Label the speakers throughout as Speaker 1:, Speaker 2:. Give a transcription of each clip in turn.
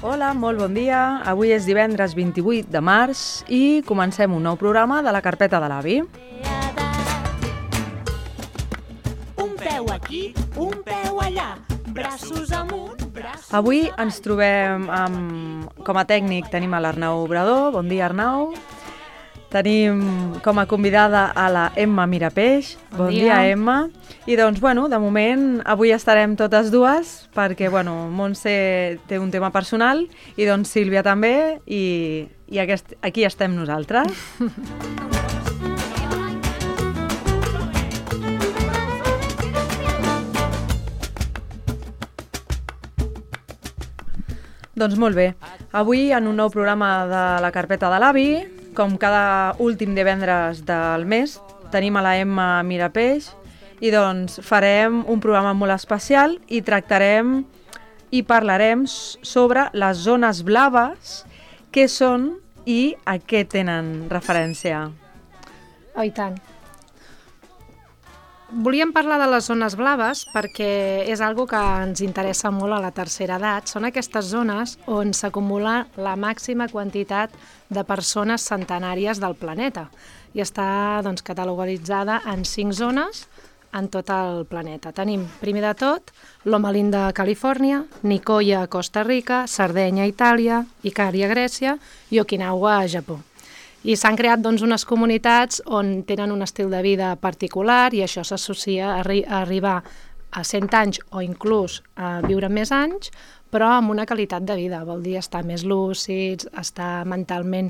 Speaker 1: Hola, molt bon dia. Avui és divendres 28 de març i comencem un nou programa de la carpeta de l'avi.
Speaker 2: Un peu aquí, un peu allà, braços amunt, braços...
Speaker 1: Avui ens trobem com a tècnic tenim a l'Arnau Obrador. Bon dia, Arnau. Tenim com a convidada a la Emma Mirapeix. Bon dia, Emma. I doncs, de moment, avui estarem totes dues perquè, Montse té un tema personal i doncs Sílvia també i aquí estem nosaltres. Doncs molt bé. Avui, en un nou programa de la carpeta de l'avi, com cada últim divendres del mes, tenim a la Emma Mirapeix i doncs farem un programa molt especial i tractarem i parlarem sobre les zones blaves, què són i a què tenen referència.
Speaker 3: Oh, i tant. Volíem parlar de les zones blaves perquè és algo que ens interessa molt a la tercera edat. Són aquestes zones on s'acumula la màxima quantitat de persones centenàries del planeta i està catalogalitzada en 5 zones en tot el planeta. Tenim, primer de tot, Loma Linda a Califòrnia, Nicoya a Costa Rica, Sardenya a Itàlia, Icària a Grècia i Okinawa a Japó. I s'han creat unes comunitats on tenen un estil de vida particular i això s'associa a arribar a 100 anys o inclús a viure més anys, però amb una qualitat de vida. Vol dir estar més lúcids, estar mentalment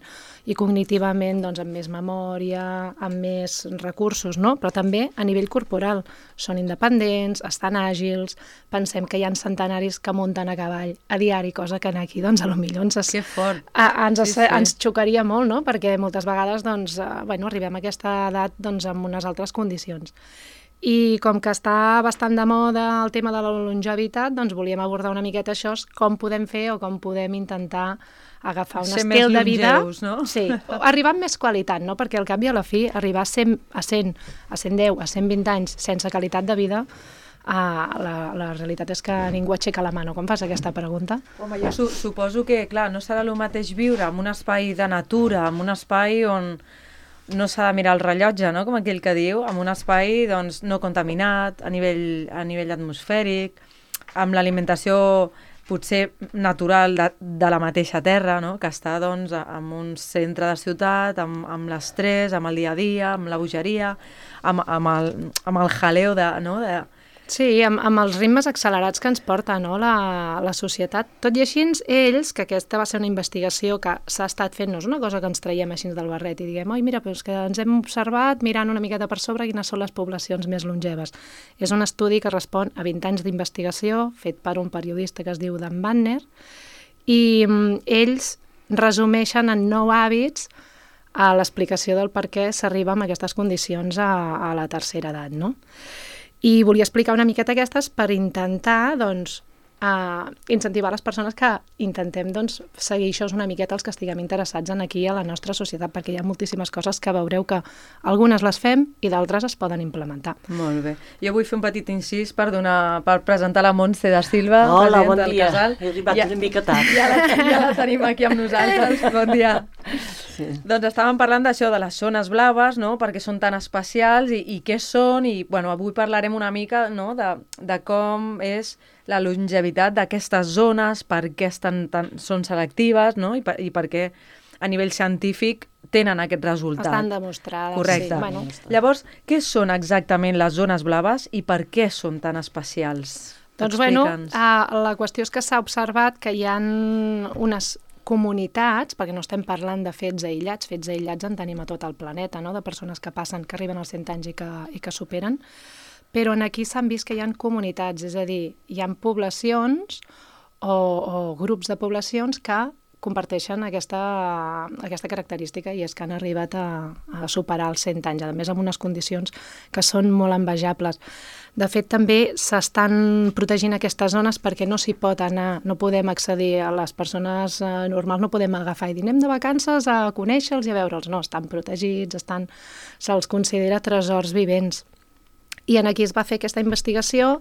Speaker 3: i cognitivament amb més memòria, amb més recursos, no? Però també a nivell corporal. Són independents, estan àgils, pensem que hi ha centenaris que munten a cavall a diari, cosa que aquí potser
Speaker 1: Que fort.
Speaker 3: ens xocaria molt, no? Perquè moltes vegades arribem a aquesta edat amb unes altres condicions. I com que està bastant de moda el tema de la longevitat, volíem abordar una miqueta això, com podem fer o com podem intentar agafar un estil de vida...
Speaker 1: Ser més longeus, no?
Speaker 3: Sí, arribar amb més qualitat, no? Perquè al cap i a la fi, arribar a 100, a 110, a 120 anys sense qualitat de vida, la realitat és que ningú aixeca la mà, no? Quan fas aquesta pregunta?
Speaker 1: Home, jo suposo que, clar, no serà el mateix viure en un espai de natura, en un espai on no s'ha de mirar el rellotge, no? Com aquell que diu, en un espai no contaminat, a nivell atmosfèric, amb l'alimentació potser natural de la mateixa terra, no? Que està en un centre de ciutat, amb l'estrès, amb el dia a dia, amb la bogeria, amb el jaleo de...
Speaker 3: Sí, amb els ritmes accelerats que ens porta, no, la societat. Tot i així, ells, que aquesta va ser una investigació que s'ha estat fent, no és una cosa que ens traiem així del barret i diguem, oi, mira, però és que ens hem observat mirant una miqueta per sobre quines són les poblacions més longeves. És un estudi que respon a 20 anys d'investigació, fet per un periodista que es diu Dan Wagner, i ells resumeixen en 9 hàbits a l'explicació del per què s'arriba amb aquestes condicions a la tercera edat, no? I volia explicar una miqueta aquestes per intentar, incentivar les persones que intentem, seguir això una miqueta els que estiguem interessats en aquí a la nostra societat, perquè hi ha moltíssimes coses que veureu que algunes les fem i d'altres es poden implementar.
Speaker 1: Molt bé. Jo vull fer un petit incís per presentar la Montse da Silva,
Speaker 4: Hola,
Speaker 1: presidenta
Speaker 4: bon
Speaker 1: del
Speaker 4: dia.
Speaker 1: casal.
Speaker 4: He arribat una mica tard.
Speaker 1: Ja la tenim aquí amb nosaltres. Bon dia.
Speaker 4: Sí.
Speaker 1: Doncs estàvem parlant d'això, de les zones blaves, no? Perquè són tan especials i què són, i avui parlarem una mica, no? de com és la longevitat d'aquestes zones, per què són selectives, no? I per què a nivell científic tenen aquest resultat.
Speaker 3: Estan demostrades.
Speaker 1: Correcte.
Speaker 3: Sí.
Speaker 1: Llavors, què són exactament les zones blaves i per què són tan especials?
Speaker 3: Doncs la qüestió és que s'ha observat que hi ha unes comunitats, perquè no estem parlant de fets aïllats en tenim a tot el planeta, no? De persones que arriben als 100 anys i que superen, però aquí s'han vist que hi ha comunitats, és a dir, hi ha poblacions o grups de poblacions que comparteixen aquesta característica i és que han arribat a superar els 100 anys, a més amb unes condicions que són molt envejables. De fet, també s'estan protegint aquestes zones perquè no s'hi pot anar, no podem accedir a les persones normals, no podem agafar i dir anem de vacances a conèixer-los i a veure'ls. No, estan protegits, se'ls considera tresors vivents. I aquí es va fer aquesta investigació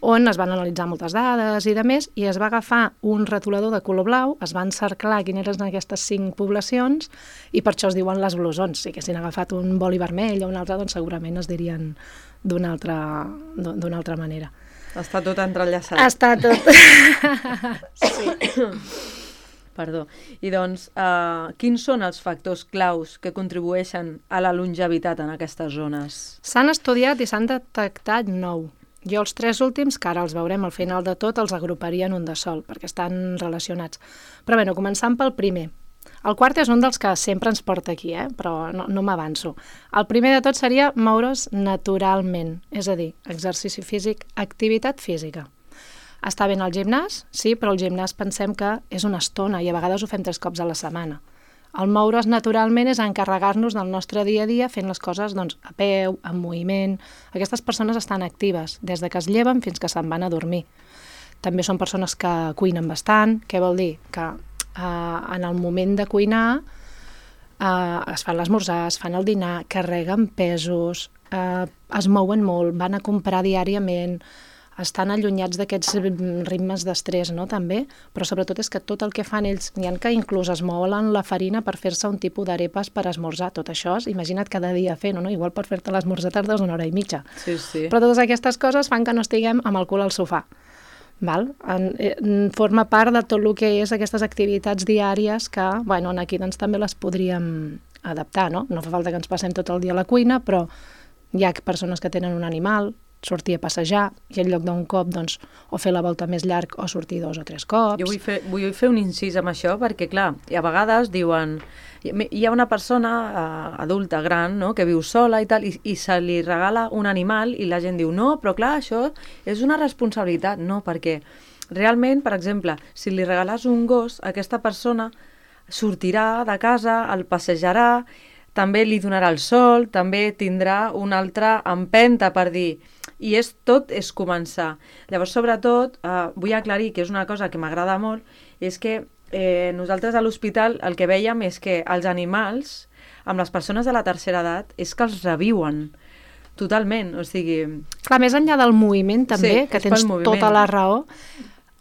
Speaker 3: on es van analitzar moltes dades i de més, i es va agafar un retolador de color blau, es van cerclar quines eren aquestes 5 poblacions, i per això es diuen les blusons. Si haguessin agafat un boli vermell o un altre, doncs segurament es dirien d'una altra manera.
Speaker 1: Està tot entrellaçat.
Speaker 3: Està tot...
Speaker 1: Perdó. I doncs, quins són els factors claus que contribueixen a la longevitat en aquestes zones?
Speaker 3: S'han estudiat i s'han detectat 9. Jo els 3 últims, que ara els veurem al final de tot, els agruparia en un de sol, perquè estan relacionats. Però bé, començant pel primer. El quart és un dels que sempre ens porta aquí, però no m'avanço. El primer de tot seria moure's naturalment, és a dir, exercici físic, activitat física. Està bé al gimnàs? Sí, però el gimnàs pensem que és una estona i a vegades ho fem 3 cops a la setmana. El moure's naturalment és encarregar-nos del nostre dia a dia fent les coses a peu, en moviment. Aquestes persones estan actives des de que es lleven fins que se'n van a dormir. També són persones que cuinen bastant. Què vol dir? Que en el moment de cuinar es fan l'esmorzar, es fan el dinar, carreguen pesos, es mouen molt, van a comprar diàriament, estan allunyats d'aquests ritmes d'estrès, no?, també, però sobretot és que tot el que fan ells, n'hi ha que inclús es mouen la farina per fer-se un tipus d'arepes per esmorzar, tot això, imagina't cada dia fent-ho, no? Igual per fer-te l'esmorzar tardes 1 hora i mitja.
Speaker 1: Sí, sí.
Speaker 3: Però totes aquestes coses fan que no estiguem amb el cul al sofà. Forma part de tot el que és aquestes activitats diàries que, aquí doncs també les podríem adaptar, no? No fa falta que ens passem tot el dia a la cuina, però hi ha persones que tenen un animal, sortir a passejar i en lloc d'un cop, doncs, o fer la volta més llarg o sortir 2 o 3 cops.
Speaker 1: Jo vull fer un incís amb això perquè, clar, a vegades diuen... Hi ha una persona adulta, gran, no?, que viu sola i tal, i se li regala un animal i la gent diu, no, però clar, això és una responsabilitat. No, perquè realment, per exemple, si li regales un gos, aquesta persona sortirà de casa, el passejarà, també li donarà el sol, també tindrà una altra empenta per dir... I tot és començar. Llavors, sobretot, vull aclarir que és una cosa que m'agrada molt, és que nosaltres a l'hospital el que vèiem és que els animals, amb les persones de la tercera edat, és que els reviuen totalment, o sigui...
Speaker 3: Clar, més enllà del moviment també,
Speaker 1: sí,
Speaker 3: que tens tota la raó,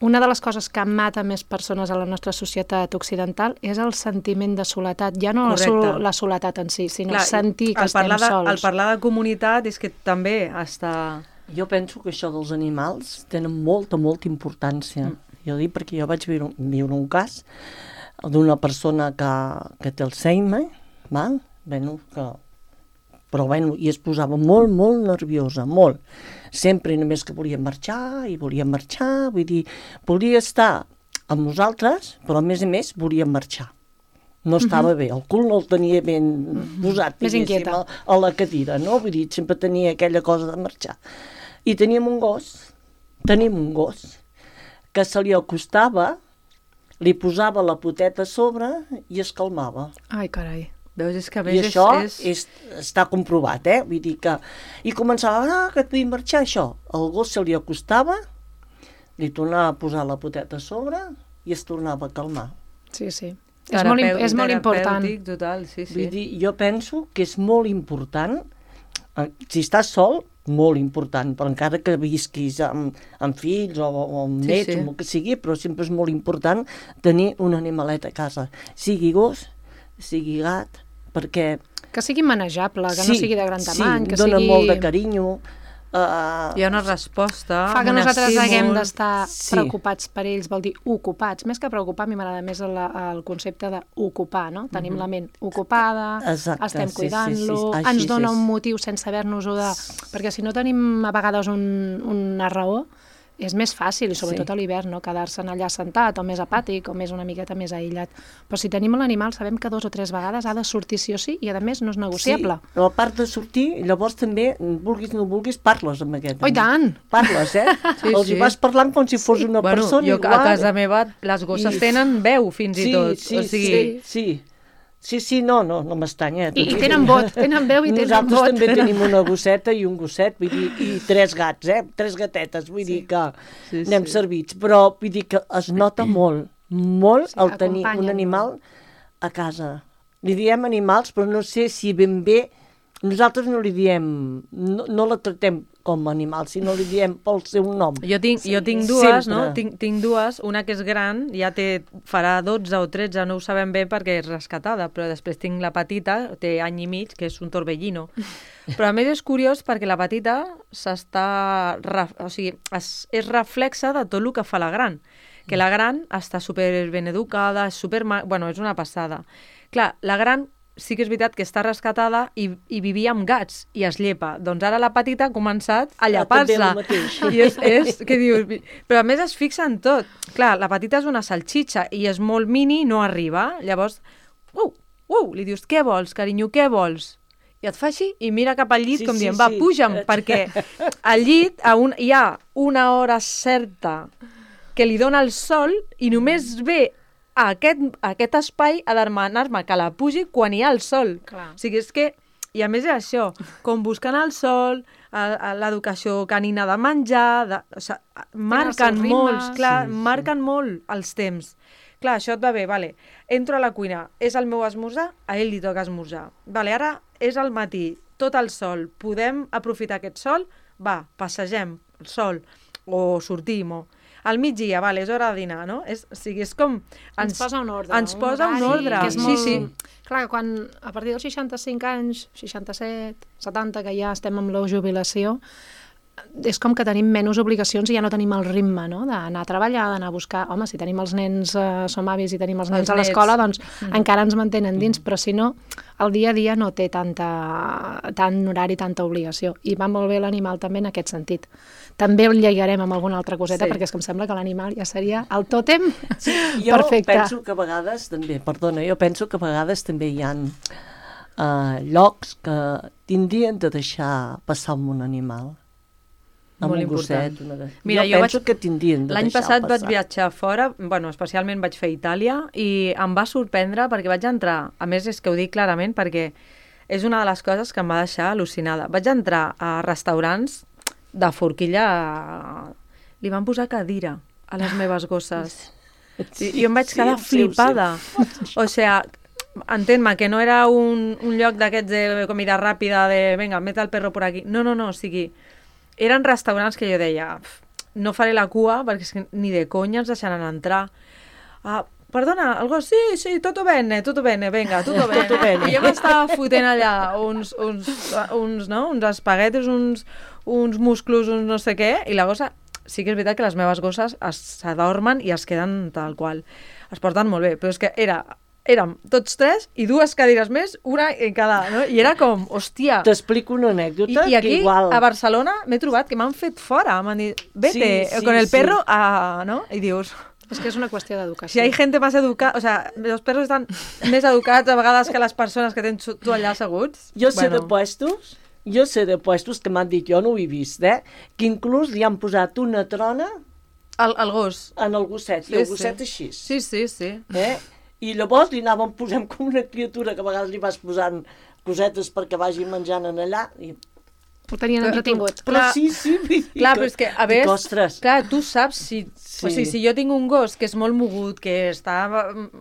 Speaker 3: una de les coses que mata més persones a la nostra societat occidental és el sentiment de soledat, ja no la soledat en si, sinó sentir que estem sols.
Speaker 1: El parlar de comunitat és que també està...
Speaker 4: Jo penso que això dels animals tenen molta importància. Jo dic perquè jo vaig viure un cas d'una persona que té Alzheimer, i es posava molt nerviosa, molt. Sempre només que volia marxar, vull dir, volia estar amb nosaltres, però a més volia marxar. No estava bé, el cul no el tenia ben posat, diguéssim, a la cadira, no? Vull dir, sempre tenia aquella cosa de marxar. I tenim un gos, que se li acostava, li posava la poteta a sobre i es calmava.
Speaker 3: Ai, carai.
Speaker 1: Veus, és que a
Speaker 4: més I això està comprovat, vull dir que... I començava, que et vull marxar, això. El gos se li acostava, li tornava a posar la poteta a sobre i es tornava a calmar.
Speaker 3: Sí. És molt important.
Speaker 1: Total, sí.
Speaker 4: Vull dir, jo penso que és molt important, si estàs sol, molt important, però encara que visquis amb fills o amb nets, o el que sigui, però sempre és molt important tenir un animalet a casa. Sigui gos, sigui gat, perquè...
Speaker 3: Que sigui manejable, que no sigui de gran tamany, que
Speaker 4: dona molt de carinyo.
Speaker 1: Hi ha una resposta,
Speaker 3: fa que nosaltres haguem d'estar preocupats per ells, vol dir ocupats. Més que preocupar, a mi m'agrada més el concepte d'ocupar, no? Tenim la ment ocupada, estem cuidant-lo, ens dona un motiu sense haver-nos-ho de... Perquè si no tenim a vegades una raó, és més fàcil, i sobretot a l'hivern, no? Quedar-se'n allà sentat, o més apàtic, o més una miqueta més aïllat. Però si tenim l'animal, sabem que 2 o 3 vegades ha de sortir sí o sí, i a més no és negociable.
Speaker 4: Sí, però a part de sortir, llavors també, vulguis o no vulguis, parles amb aquest.
Speaker 3: Oh, i tant!
Speaker 4: Parles, Els hi vas parlant com si fos una persona igual.
Speaker 1: Jo a casa meva, les gosses tenen veu, fins i tot.
Speaker 4: Sí, no m'estanya.
Speaker 3: I tenen vot, tenen veu i tenen vot.
Speaker 4: Nosaltres també tenim una gosseta i un gosset, vull dir, i 3 gats, 3 gatetes, vull dir que anem servits. Però vull dir que es nota molt el tenir un animal a casa. Li diem animals, però no sé si ben bé... Nosaltres no li diem... No la tractem com a animal, si no li diem pel seu nom.
Speaker 1: Jo tinc dues,
Speaker 4: Sempre.
Speaker 1: no? Tinc dues, una que és gran, ja farà 12 o 13, no ho sabem bé perquè és rescatada, però després tinc la petita, té any i mig, que és un torbellino. Però a més és curiós perquè la petita és reflexa de tot el que fa la gran. Que la gran està super ben educada, és una passada. Clar, la gran sí que és veritat que està rescatada i vivia amb gats i es llepa. Doncs ara la petita ha començat a llepar-se. I és que dius... Però a més es fixa en tot. Clar, la petita és una salxitxa i és molt mini i no arriba. Llavors, li dius, què vols, carinyo, què vols? I et fa així i mira cap al llit com dient, va, puja'm, perquè al llit hi ha una hora certa que li dona el sol i només ve a aquest espai a demanar-me que la pugi quan hi ha el sol.
Speaker 3: Clar.
Speaker 1: O sigui, és que, i a més és això, com buscant el sol, l'educació canina de menjar, marquen molt els temps. Clar, això et va bé, vale. Entro a la cuina, és el meu esmorzar, a ell li toca esmorzar. Vale, ara és al matí, tot el sol, podem aprofitar aquest sol? Va, passegem el sol, o sortim, o... Al migdia, vale, és hora de dinar, no? És com...
Speaker 3: Ens posa un ordre.
Speaker 1: Ens posa un ordre.
Speaker 3: Que és molt... Clar, quan a partir dels 65 anys, 67, 70, que ja estem amb la jubilació, és com que tenim menys obligacions i ja no tenim el ritme, no? D'anar a treballar, d'anar a buscar... Home, si tenim els nens, som avis i tenim els nens a l'escola, doncs encara ens mantenen dins, però si no, el dia a dia no té tant horari, tanta obligació. I va molt bé l'animal també en aquest sentit. També el lligarem amb alguna altra coseta, perquè és que em sembla que l'animal ja seria el tòtem perfecte.
Speaker 4: Jo penso que a vegades també, hi ha llocs que tindrien de deixar passar amb un animal.
Speaker 1: Molt important.
Speaker 4: Mira, jo penso que tindrien de
Speaker 1: l'any
Speaker 4: deixar
Speaker 1: passat vaig viatjar fora, especialment vaig fer Itàlia, i em va sorprendre perquè vaig entrar, a més és que ho dic clarament perquè és una de les coses que em va deixar al·lucinada. Vaig entrar a restaurants de forquilla, li van posar cadira a les meves gosses. I em vaig quedar flipada. O sigui, entén-me que no era un lloc d'aquests de comida ràpida, de venga, mete el perro por aquí. No, o sigui, eren restaurants que jo deia, no faré la cua perquè és que ni de conya ens deixaran entrar. Perdona, algo, sí, tutto bene, venga, tutto bene. I jo m'estava fotent allà uns espaguetis, uns musclos, uns no sé què, i la gossa, sí que és veritat que les meves gosses s'adormen i es queden tal qual. Es porten molt bé, però és que érem tots tres i dues cadires més, una en cada, no? I era com, hòstia...
Speaker 4: T'explico una anècdota
Speaker 1: I aquí,
Speaker 4: que igual...
Speaker 1: a Barcelona, m'he trobat que m'han fet fora, m'han dit, vete, con el perro, ¿no? I dius...
Speaker 3: És que és una qüestió d'educació.
Speaker 1: Si hay gente más educada, o sea, los perros están més educats a vegades que les persones que tens tu allà asseguts.
Speaker 4: Jo sé de puestos que m'han dit, jo no ho he vist, que inclús li han posat una trona
Speaker 1: al gos.
Speaker 4: En el gosset, i el gosset així.
Speaker 1: Sí.
Speaker 4: I llavors li anàvem posant com una criatura que a vegades li vas posant cosetes perquè vagi menjant en allà.
Speaker 3: Ho tenien entretingut.
Speaker 4: Però sí.
Speaker 1: Clar, però és que, a veure, clar, tu saps
Speaker 4: Sí.
Speaker 1: O sigui, si jo tinc un gos que és molt mogut, que està,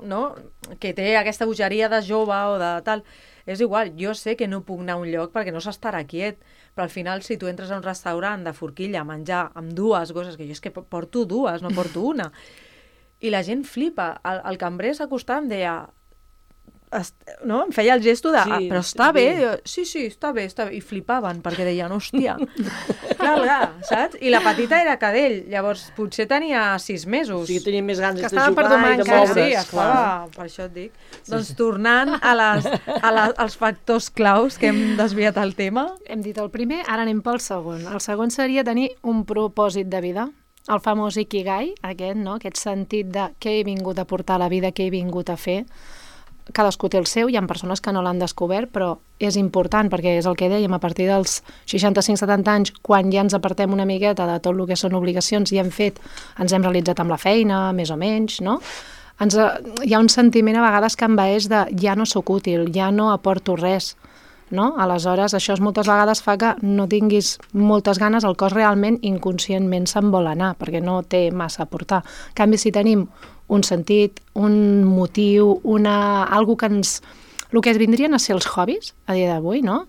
Speaker 1: no?, que té aquesta bogeria de jove o de tal, és igual, jo sé que no puc anar a un lloc perquè no s'estarà quiet, però al final si tu entres a un restaurant de forquilla a menjar amb dues gosses, que jo és que porto dues, no porto una, i la gent flipa, el cambrer s'acostava i em deia, no? Em feia el gesto de, però està bé? Sí, està bé, i flipaven, perquè deien, hòstia, clar, saps? I la petita era cadell, llavors potser tenia 6 mesos.
Speaker 4: O sigui, tenia més ganes de
Speaker 3: jugar
Speaker 4: i de moure's.
Speaker 1: Sí, estava, per això et dic. Doncs tornant als factors claus que hem desviat el tema.
Speaker 3: Hem dit el primer, ara anem pel segon. El segon seria tenir un propòsit de vida, el famós Ikigai, aquest sentit de què he vingut a portar a la vida, què he vingut a fer. Cadascú té el seu, hi ha persones que no l'han descobert, però és important, perquè és el que dèiem, a partir dels 65-70 anys, quan ja ens apartem una miqueta de tot el que són obligacions i ens hem realitzat amb la feina, més o menys, no? Hi ha un sentiment a vegades que envaeix de ja no sóc útil, ja no aporto res, no? Aleshores, això moltes vegades fa que no tinguis moltes ganes, el cos realment inconscientment se'n vol anar, perquè no té massa a aportar. En canvi, si tenim un sentit, un motiu, algo que el que vindrien a ser els hobbies a dia d'avui, no?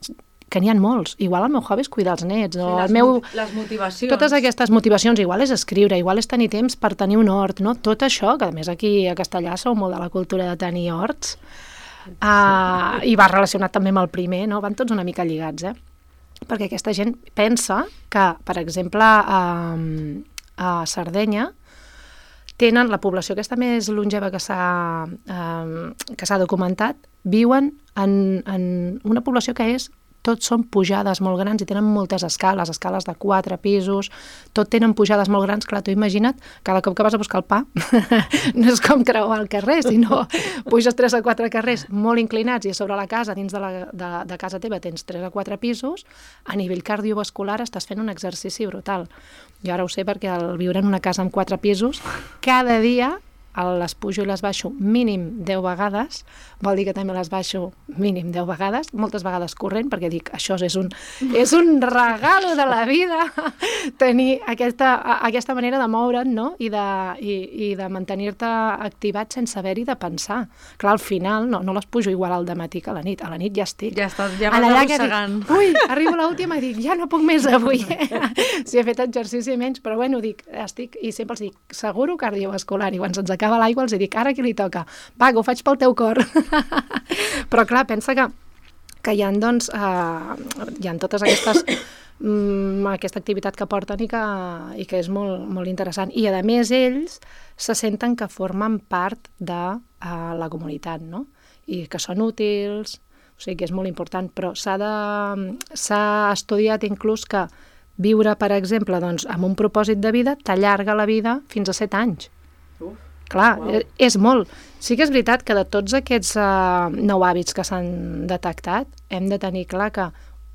Speaker 3: que n'hi ha molts. Igual el meu hobby és cuidar els nets, o el
Speaker 1: les motivacions.
Speaker 3: Totes aquestes motivacions, igual és escriure, igual és tenir temps per tenir un hort, no? Tot això, que a més aquí a Castellà sou molt de la cultura de tenir horts, i va relacionat també amb el primer, no? Van tots una mica lligats, perquè aquesta gent pensa que, per exemple, a Sardenya tenen la població aquesta més longeva que s'ha documentat, viuen en una població que tots són pujades molt grans i tenen moltes escales de 4 pisos, tot tenen pujades molt grans. Clar, tu imagina't, cada cop que vas a buscar el pa, no és com creuar el carrer, sinó puges 3 o 4 carrers molt inclinats i a sobre la casa, dins de casa teva, tens 3 o 4 pisos, a nivell cardiovascular estàs fent un exercici brutal. Jo ara ho sé perquè al viure en una casa amb 4 pisos, cada dia les pujo i les baixo mínim 10 vegades, vol dir que també les baixo mínim 10 vegades, moltes vegades corrent, perquè dic, això és un regalo de la vida, tenir aquesta manera de moure't, no? I de mantenir-te activat sense haver-hi de pensar. Clar, al final no les pujo igual al dematí que a la nit ja estic.
Speaker 1: Ja vas arrossegant.
Speaker 3: Ui, arribo a l'última i dic, ja no puc més avui. Si he fet exercici menys, però bueno, dic, estic, i sempre els dic, seguro cardiovascular, i quan se'ns acaba l'aigua els dic, ara qui li toca? Va, que ho faig pel teu cor. Però clar, pensa que hi ha, doncs, hi ha totes aquestes aquesta activitat que porten i que és molt, molt interessant. I a més ells se senten que formen part de la comunitat, no? I que són útils, o sigui que és molt important, però s'ha estudiat inclús que viure, per exemple, doncs, amb un propòsit de vida t'allarga la vida fins a 7 anys. Clar, és molt. Sí que és veritat que de tots aquests 9 hàbits que s'han detectat, hem de tenir clar que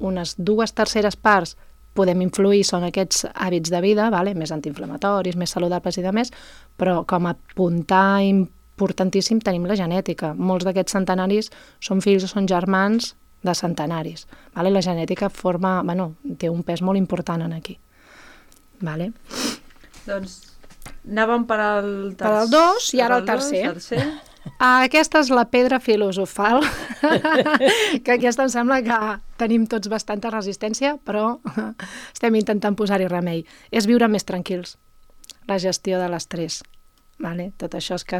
Speaker 3: unes 2/3 parts podem influir, són aquests hàbits de vida, més antiinflamatoris, més saludables i demés, però com a puntar importantíssim tenim la genètica. Molts d'aquests centenaris són fills o són germans de centenaris. La genètica té un pes molt important aquí.
Speaker 1: Doncs anàvem per al
Speaker 3: 2 i ara el tercer. Aquesta és la pedra filosofal, que aquesta em sembla que tenim tots bastanta resistència, però estem intentant posar-hi remei. És viure més tranquils, la gestió de l'estrès. Tot això és que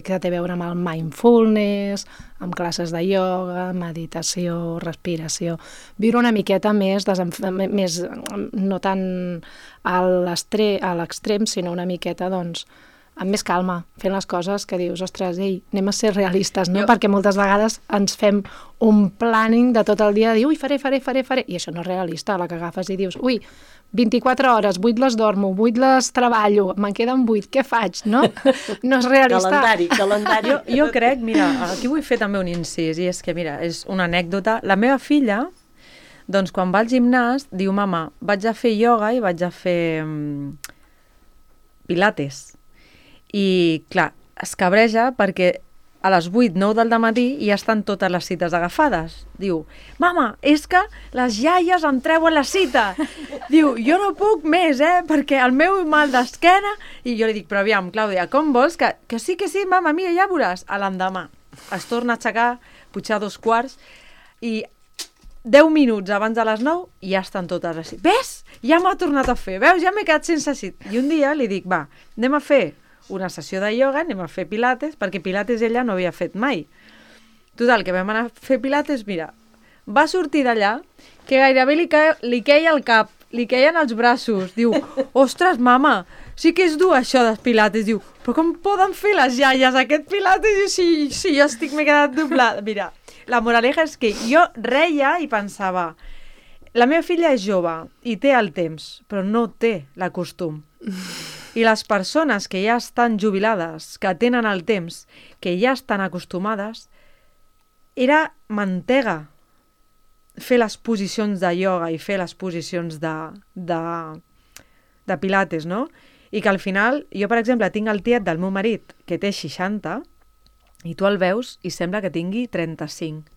Speaker 3: té a veure amb el mindfulness, amb classes de ioga, meditació, respiració. Viure una miqueta més no tant a l'extrem, sinó una miqueta, doncs, amb més calma, fent les coses que dius, ostres, anem a ser realistes, no? Perquè moltes vegades ens fem un planning de tot el dia, de dir, ui, faré, i això no és realista, la que agafes i dius, ui, 24 hores, 8 les dormo, 8 les treballo, me'n queden 8, què faig, no? No és realista.
Speaker 4: Calendari.
Speaker 1: Jo crec, mira, aquí vull fer també un incís, i és que, mira, és una anècdota. La meva filla, doncs, quan va al gimnàs, diu, mama, vaig a fer ioga i vaig a fer pilates. I, clar, es cabreja perquè a les 8-9 del dematí ja estan totes les cites agafades. Diu, mama, és que les iaies em treuen la cita. Diu, jo no puc més, perquè el meu mal d'esquena... I jo li dic, però aviam, Clàudia, com vols? Que sí, mama, mira, ja veuràs. A l'endemà es torna a aixecar, potser a 2:15, i 10 minuts abans de les 9 ja estan totes així. Ves? Ja m'ha tornat a fer. Veus? Ja m'he quedat sense cita. I un dia li dic, va, anem a fer una sessió de ioga, anem a fer pilates, perquè pilates ella no havia fet mai. Total, que vam anar a fer pilates, mira, va sortir d'allà que gairebé li queia el cap, li queien els braços. Diu, ostres, mama, sí que és dur això dels pilates. Diu, però com poden fer les iaies aquest pilates? I sí, jo m'he quedat doblada. Mira, la moraleja és que jo reia i pensava, la meva filla és jove i té el temps, però no té la costum. I les persones que ja estan jubilades, que tenen el temps, que ja estan acostumades, era mantega fer les posicions de ioga i fer les posicions de pilates, no? I que al final, jo per exemple tinc el tiet del meu marit que té 60 i tu el veus i sembla que tingui 35.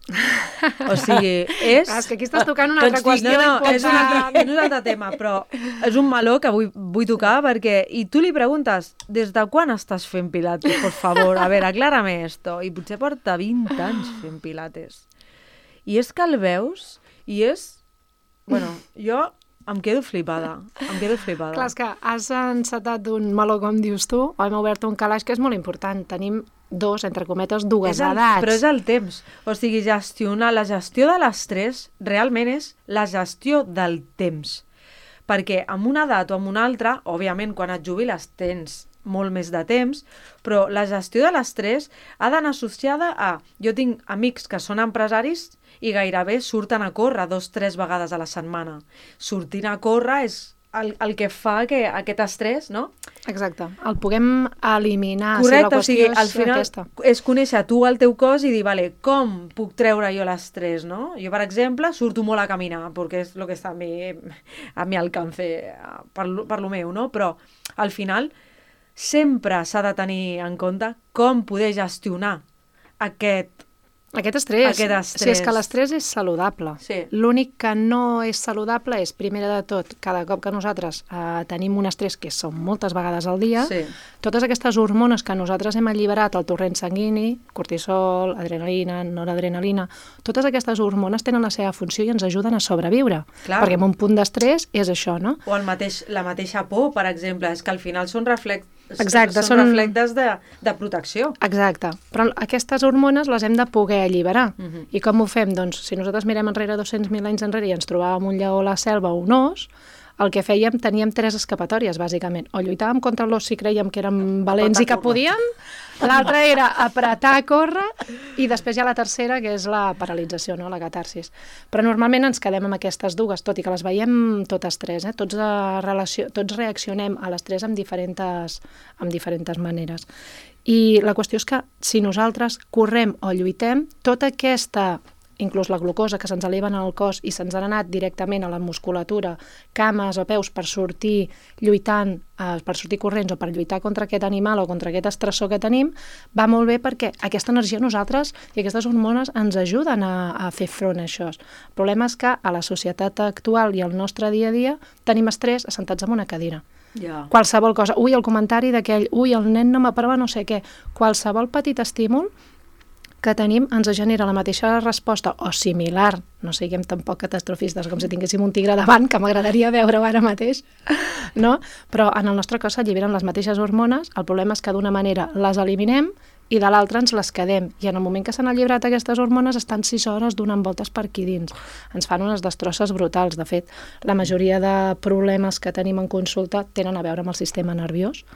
Speaker 1: O sigui, és...
Speaker 3: És que aquí estàs tocant una altra qüestió.
Speaker 1: No, és un altre tema, però és un meló que vull tocar perquè... I tu li preguntes, des de quan estàs fent pilates, por favor? A veure, aclárame esto. I potser porta 20 anys fent pilates. I és que el veus i és Bueno, jo em quedo flipada.
Speaker 3: Clar, és que has encetat d'un meló, com dius tu, o hem obert un calaix que és molt important. Tenim entre cometes, dues edats.
Speaker 1: Però és el temps. O sigui, la gestió de l'estrès realment és la gestió del temps. Perquè amb una edat o amb una altra, òbviament, quan et jubiles tens molt més de temps, però la gestió de l'estrès ha d'anar associada a... Jo tinc amics que són empresaris i gairebé surten a córrer 2-3 vegades a la setmana. Sortint a córrer és el que fa que aquest estrès, no?
Speaker 3: Exacte, el puguem eliminar.
Speaker 1: Correcte,
Speaker 3: si la qüestió
Speaker 1: al final és conèixer tu el teu cos i dir, vale, com puc treure jo l'estrès, no? Jo, per exemple, surto molt a caminar, perquè és el que està a mi alcance, per lo meu, no? Però, al final, sempre s'ha de tenir en compte com poder gestionar aquest
Speaker 3: estrès.
Speaker 1: Si
Speaker 3: és que l'estrès és saludable.
Speaker 1: Sí.
Speaker 3: L'únic que no és saludable és, primera de tot, cada cop que nosaltres tenim un estrès, que són moltes vegades al dia, totes aquestes hormones que nosaltres hem alliberat al torrent sanguini, cortisol, adrenalina, noradrenalina, totes aquestes hormones tenen la seva funció i ens ajuden a sobreviure.
Speaker 1: Clar.
Speaker 3: Perquè en un punt d'estrès és això, no?
Speaker 1: O la mateixa por, per exemple, és que al final són reflexes de protecció.
Speaker 3: Exacte, però aquestes hormones les hem de poder alliberar. I com ho fem? Doncs si nosaltres mirem enrere 200.000 anys enrere i ens trobàvem un lleó a la selva o un os, el que fèiem, teníem 3 escapatòries, bàsicament. O lluitàvem contra l'os si creiem que érem valents i que podíem, l'altra era apretar, córrer, i després hi ha la tercera, que és la paralització, no? La catarsis. Però normalment ens quedem amb aquestes dues, tot i que les veiem totes 3, tots reaccionem a l'estrès amb diferents maneres. I la qüestió és que si nosaltres correm o lluitem, tota aquesta, inclús la glucosa que se'ns eleva en el cos i se'ns ha anat directament a la musculatura, cames o peus per sortir lluitant, per sortir corrents o per lluitar contra aquest animal o contra aquest estressor que tenim, va molt bé perquè aquesta energia nosaltres i aquestes hormones ens ajuden a fer front a això. El problema és que a la societat actual i al nostre dia a dia tenim estrès assentats en una cadira. Qualsevol cosa, el comentari d'aquell, el nen no m'aprova no sé què, qualsevol petit estímul que tenim ens genera la mateixa resposta o similar, no siguem tampoc catastrofistes com si tinguéssim un tigre davant, que m'agradaria veure-ho ara mateix, no? Però en el nostre cos s'alliberen les mateixes hormones, el problema és que d'una manera les eliminem i de l'altra ens les quedem. I en el moment que s'han alliberat aquestes hormones estan 6 hores donant voltes per aquí dins. Ens fan unes destrosses brutals. De fet, la majoria de problemes que tenim en consulta tenen a veure amb el sistema nerviós,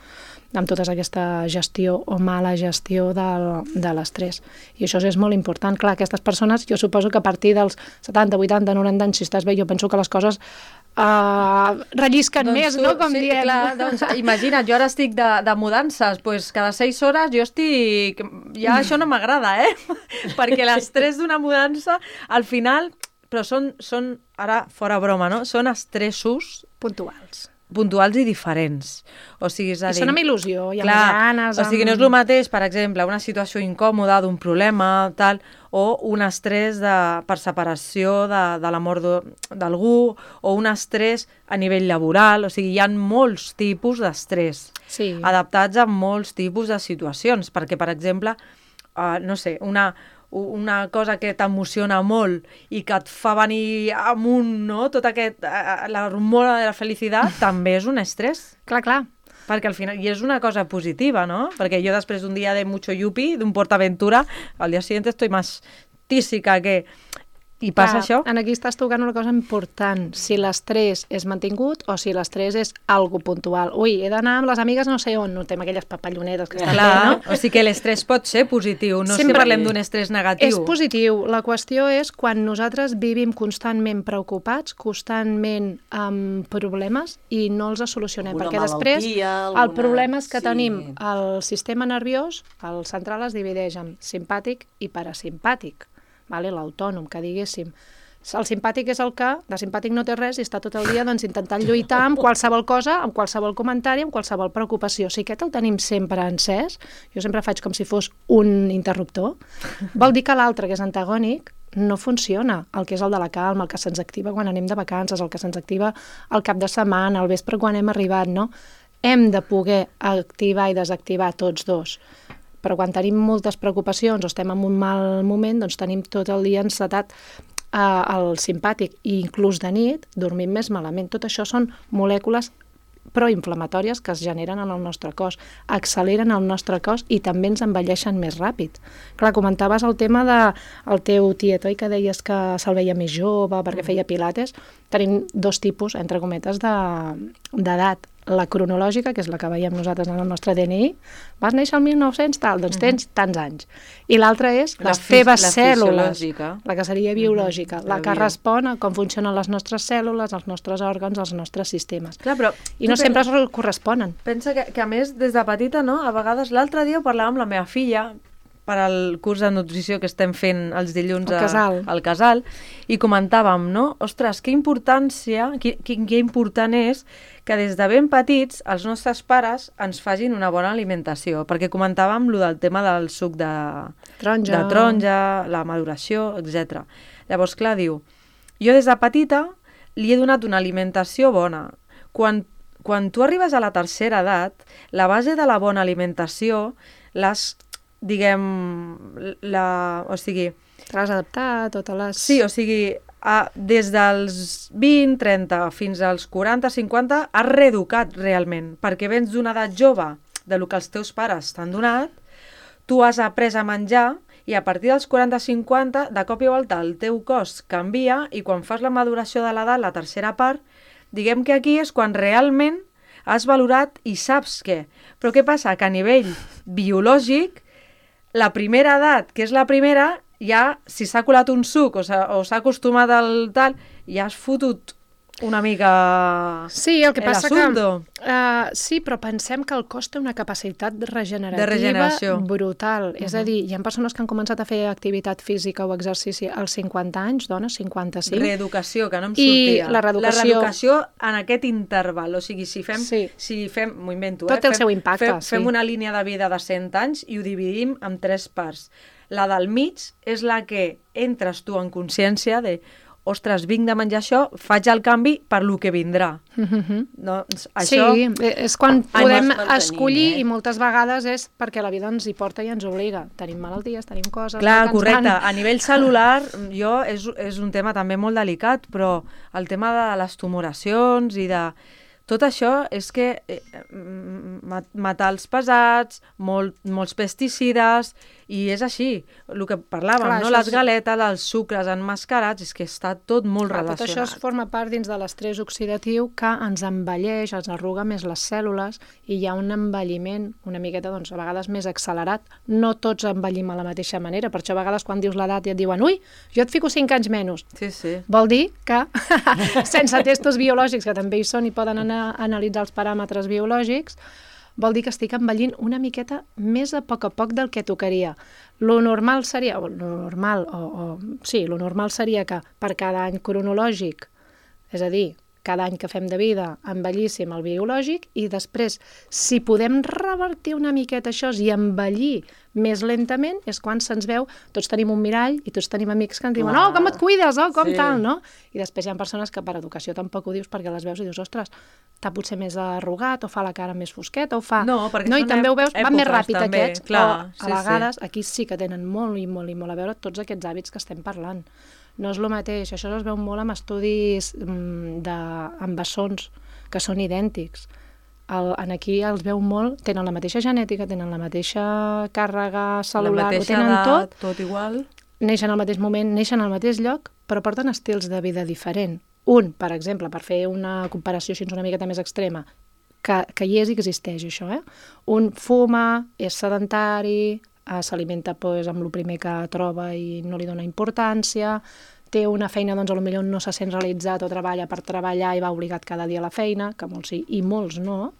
Speaker 3: amb tota aquesta gestió o mala gestió de l'estrès. I això és molt important. Clar, aquestes persones, jo suposo que a partir dels 70, 80, 90 anys, si estàs bé, jo penso que les coses rellisquen més, no? Com diem.
Speaker 1: Clar, doncs, imagina't, jo ara estic de mudances, doncs cada 6 hores jo estic... Ja això no m'agrada, perquè l'estrès d'una mudança, al final... Però són, ara fora broma, no? Són estressos puntuals i diferents. O sigui, és a dir,
Speaker 3: I són amb il·lusió, i amb ganes...
Speaker 1: O sigui, no és el mateix, per exemple, una situació incòmoda d'un problema, tal, o un estrès per separació de la mort d'algú, o un estrès a nivell laboral. O sigui, hi ha molts tipus d'estrès adaptats a molts tipus de situacions, perquè, per exemple, no sé, una cosa que t'emociona molt i que et fa venir amunt, no? Tota l'hormona de la felicitat també és un estrès.
Speaker 3: Clar.
Speaker 1: Perquè al final, i és una cosa positiva, no? Perquè jo després d'un dia de mucho yupi, d'un PortAventura, al dia siguiente estoy más tísica que... I passa això?
Speaker 3: Aquí estàs tocant una cosa important, si l'estrès és mantingut o si l'estrès és algo puntual. He d'anar amb les amigues no sé on, no tem aquelles papallonetes que estan bé, no?
Speaker 1: O sigui que l'estrès pot ser positiu, no sempre parlem d'un estrès negatiu.
Speaker 3: És positiu, la qüestió és quan nosaltres vivim constantment preocupats, constantment amb problemes i no els solucionem, perquè després el problema és que tenim el sistema nerviós, el central es divideix en simpàtic i parasimpàtic. L'autònom, que diguéssim. El simpàtic és el que, de simpàtic no té res i està tot el dia intentant lluitar amb qualsevol cosa, amb qualsevol comentari, amb qualsevol preocupació. Si aquest el tenim sempre encès, jo sempre faig com si fos un interruptor, vol dir que l'altre, que és antagònic, no funciona. El que és el de la calma, el que se'ns activa quan anem de vacances, el que se'ns activa al cap de setmana, al vespre quan hem arribat, no? Hem de poder activar i desactivar tots dos. Però quan tenim moltes preocupacions o estem en un mal moment, doncs tenim tot el dia encetat el simpàtic i inclús de nit dormim més malament. Tot això són molècules proinflamatòries que es generen en el nostre cos, acceleren el nostre cos i també ens envelleixen més ràpid. Clar, comentaves el tema del teu tiet, oi, que deies que se'l veia més jove perquè feia pilates. Tenim dos tipus, entre cometes, d'edat. La cronològica, que és la que veiem nosaltres en el nostre DNI, vas néixer el 1900, tal, doncs tens tants anys. I l'altra és les teves cèl·lules, la que seria biològica, la que respon a com funcionen les nostres cèl·lules, els nostres òrgans, els nostres sistemes.
Speaker 1: Clar, però
Speaker 3: I no sempre es corresponen.
Speaker 1: Pensa que a més, des de petita, no? A vegades, l'altre dia ho parlàvem amb la meva filla, per al curs de nutrició que estem fent els dilluns al casal, i comentàvem, no? Ostres, que importància, que important és que des de ben petits els nostres pares ens facin una bona alimentació, perquè comentàvem lo del tema del suc de taronja, la maduració, etc. Llavors, clar, diu, jo des de petita li he donat una alimentació bona. Quan tu arribes a la tercera edat, la base de la bona alimentació diguem, o sigui...
Speaker 3: T'has adaptat, totes les...
Speaker 1: Sí, o sigui, des dels 20, 30 fins als 40, 50, has reeducat realment, perquè vens d'una edat jove, del que els teus pares t'han donat, tu has après a menjar, i a partir dels 40-50, de cop i volta, el teu cos canvia, i quan fas la maduració de l'edat, la tercera part, diguem que aquí és quan realment has valorat i saps què. Però què passa? Que a nivell biològic, la primera edat, que és la primera, ja, si s'ha colat un suc o s'ha acostumat al tal, ja has fotut una mica
Speaker 3: sí, el que passa
Speaker 1: l'assumpto.
Speaker 3: Sí, però pensem que el cos té una capacitat regenerativa brutal. És a dir, hi ha persones que han començat a fer activitat física o exercici als 50 anys, dones, 55.
Speaker 1: Reeducació, que no em sortia.
Speaker 3: I la reeducació
Speaker 1: en aquest interval, o sigui, si fem m'ho invento,
Speaker 3: tot té el seu impacte.
Speaker 1: Fem una línia de vida de 100 anys i ho dividim en 3 parts. La del mig és la que entres tu en consciència de ostres, vinc de menjar això, faig el canvi per lo que vindrà. Doncs això...
Speaker 3: Sí, és quan podem escollir i moltes vegades és perquè la vida ens hi porta i ens obliga. Tenim malalties, tenim coses...
Speaker 1: Clar, correcte. A nivell celular, és un tema també molt delicat, però el tema de les tumoracions i de... Tot això és que metals pesats, molts pesticides, i és així, el que parlàvem, no? Les galetes, els sucres emmascarats, és que està tot molt relacionat.
Speaker 3: Tot això forma part dins de l'estrès oxidatiu que ens envelleix, ens arruga més les cèl·lules i hi ha un envelliment una miqueta, doncs, a vegades més accelerat. No tots envellim a la mateixa manera, per això a vegades quan dius l'edat i et diuen ui, jo et fico 5 anys menys.
Speaker 1: Sí.
Speaker 3: Vol dir que sense testos biològics, que també hi són i poden anar a analitzar els paràmetres biològics, vol dir que estic envellint una miqueta més a poc del que tocaria. Lo normal seria, lo normal seria que per cada any cronològic, és a dir, cada any que fem de vida envellíssim el biològic i després, si podem revertir una miqueta això i envellir més lentament, és quan se'ns veu, tots tenim un mirall i tots tenim amics que ens diuen oh, com et cuides, oh, com tal, no? I després hi ha persones que per educació tampoc ho dius perquè les veus i dius, ostres, està potser més arrugat o fa la cara més fosqueta o fa...
Speaker 1: No, perquè
Speaker 3: i també ho veus, van més ràpid
Speaker 1: també,
Speaker 3: aquests,
Speaker 1: clar,
Speaker 3: o a vegades aquí sí que tenen molt a veure tots aquests hàbits que estem parlant. No és el mateix, això es veu molt amb estudis amb bessons que són idèntics. Aquí els veu molt, tenen la mateixa genètica, tenen la mateixa càrrega cel·lular, ho tenen
Speaker 1: tot igual.
Speaker 3: Neixen al mateix moment, neixen al mateix lloc, però porten estils de vida diferent. Un, per exemple, per fer una comparació així una miqueta més extrema, que hi és i existeix això, un fuma, és sedentari, s'alimenta amb el primer que troba i no li dona importància, té una feina, doncs potser no se sent realitzat o treballa per treballar i va obligat cada dia a la feina, que molts sí i molts no,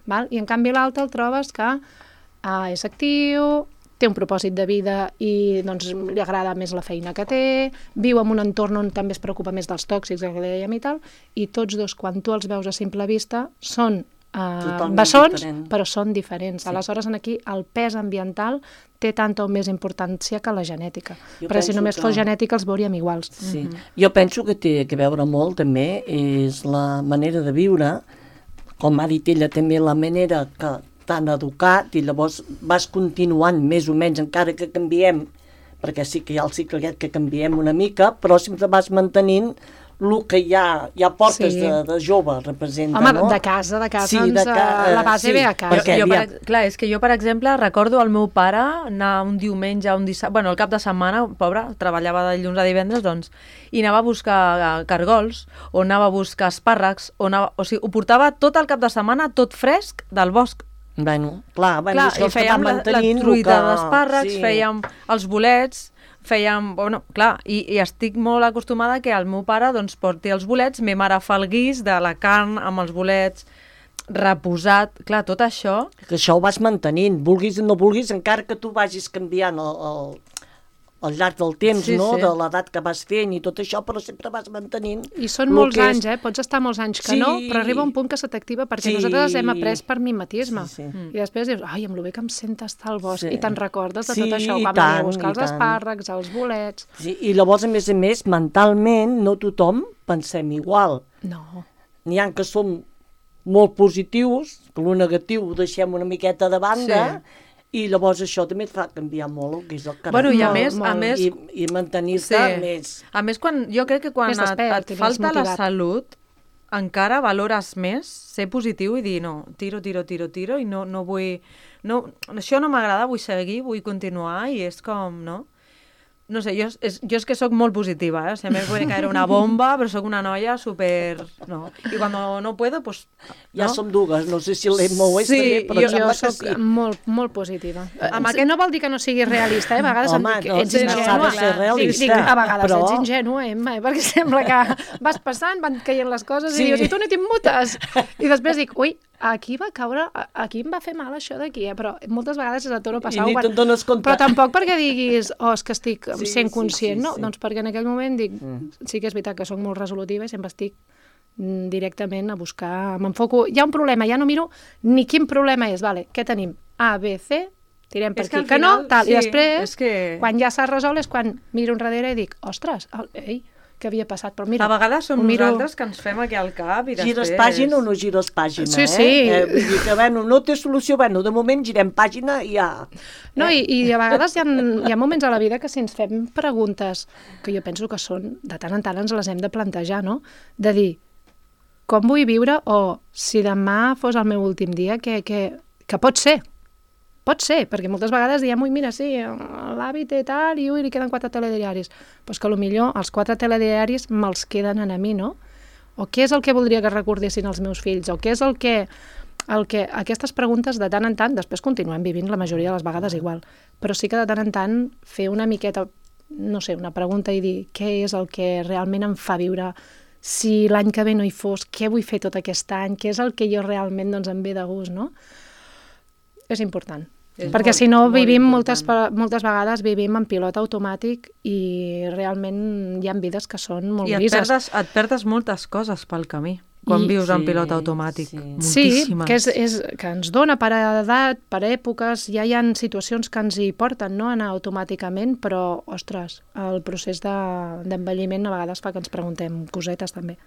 Speaker 3: val? I en canvi l'altre el trobes que és actiu, té un propòsit de vida i doncs, li agrada més la feina que té, viu en un entorn on també es preocupa més dels tòxics, que dèiem i tal, i tots dos, quan tu els veus a simple vista, són bessons, però són diferents. Sí. Aleshores, aquí el pes ambiental té tanta o més importància que la genètica. Perquè si només fos genètica els veuríem iguals.
Speaker 4: Sí. Jo penso que té a veure molt també és la manera de viure, com ha dit ella també, la manera que t'han educat i llavors vas continuant més o menys, encara que canviem perquè sí que hi ha el cicle aquest que canviem una mica, però sempre vas mantenint el que ja portes de jove representa,
Speaker 3: home,
Speaker 4: no?
Speaker 3: de casa
Speaker 4: Sí,
Speaker 3: la base ve a casa.
Speaker 4: perquè
Speaker 1: Clar, és que jo, per exemple, recordo el meu pare anar un diumenge, un dissabte, bueno, el cap de setmana, pobre, treballava de dilluns a divendres, doncs, i anava a buscar cargols, o anava a buscar espàrrecs, o sigui, ho portava tot el cap de setmana, tot fresc del bosc.
Speaker 4: Bueno, clar,
Speaker 1: I fèiem la truita d'espàrrecs, fèiem els bolets, bueno, clar, i estic molt acostumada que el meu pare doncs, porti els bolets, ma mare fa el guix de la carn amb els bolets, reposat, clar, tot això...
Speaker 4: Que això ho vas mantenint, vulguis o no vulguis, encara que tu vagis canviant al llarg del temps, no? De l'edat que vas fent i tot això, però sempre vas mantenint...
Speaker 3: I són molts anys, pots estar molts anys que no, però arriba un punt que se t'activa perquè nosaltres hem après per mimetisme. I després dius, ai, amb lo bé que em sent estar al bosc, i te'n recordes de tot això, vam anar a buscar els espàrrecs, els bolets...
Speaker 4: I llavors, a més, mentalment, no tothom pensem igual.
Speaker 3: No.
Speaker 4: N'hi ha que som molt positius, que el negatiu ho deixem una miqueta de banda, i llavors això també et fa canviar molt el que és el caràcter.
Speaker 1: Bueno, i a més...
Speaker 4: I mantenir-te més...
Speaker 1: A més, jo crec que quan et falta la salut, encara valores més ser positiu i dir, no, tiro, i no vull... No, això no m'agrada, vull seguir, vull continuar, i és com, no? No sé, jo és que sóc molt positiva, se me puede caer una bomba, però sóc una noia super... No. I quan no puedo, pues...
Speaker 4: Ja som dues, no sé si l'Emma ho és també, però
Speaker 3: jo soc molt positiva. No vol dir que no siguis realista, a vegades ets ingènua. A vegades ets ingènua, Emma, perquè sembla que vas passant, van caient les coses i dius, i tu no t'immutes. I després dic, ui, aquí va caure, aquí em va fer mal això d'aquí, però moltes vegades és a torno passar.
Speaker 4: I ni te'n dones compte.
Speaker 3: Però tampoc perquè diguis, és que estic sent conscient, no? Doncs perquè en aquell moment dic, sí que és veritat que soc molt resolutiva i sempre estic directament a buscar, m'enfoco, hi ha un problema, ja no miro ni quin problema és, vale, què tenim? A, B, C, tirem per aquí, que no, tal, i després, quan ja s'ha resolt és quan miro enrere i dic, ostres, ei, què havia passat, però mira...
Speaker 1: A vegades som nosaltres que ens fem aquí al cap i després...
Speaker 4: Gires pàgina o no gires pàgina,
Speaker 3: Sí.
Speaker 4: Vull dir que, no té solució, de moment girem pàgina i ja...
Speaker 3: No, i a vegades hi ha moments a la vida que si ens fem preguntes, que jo penso que són, de tant en tant ens les hem de plantejar, no? De dir, com vull viure, o si demà fos el meu últim dia, que pot ser. Pot ser, perquè moltes vegades diem, ui, mira, sí, l'hàbit i tal, i li queden 4 telediaris. Però és que potser els 4 telediaris me'ls queden a mi, no? O què és el que voldria que recordessin els meus fills? O què és el que... Aquestes preguntes de tant en tant, després continuem vivint la majoria de les vegades igual, però sí que de tant en tant fer una miqueta, no sé, una pregunta i dir què és el que realment em fa viure, si l'any que ve no hi fos, què vull fer tot aquest any, què és el que jo realment em ve de gust, no? És important. Perquè si no vivim moltes vegades vivim en pilot automàtic i realment hi ha vides que són molt grises.
Speaker 1: I et perdes moltes coses pel camí quan vius en pilot automàtic.
Speaker 3: Moltíssimes. Sí, que ens dona per edat, per èpoques, ja hi ha situacions que ens hi porten, no, anar automàticament, però, ostres, el procés d'envelliment a vegades fa que ens preguntem cosetes també.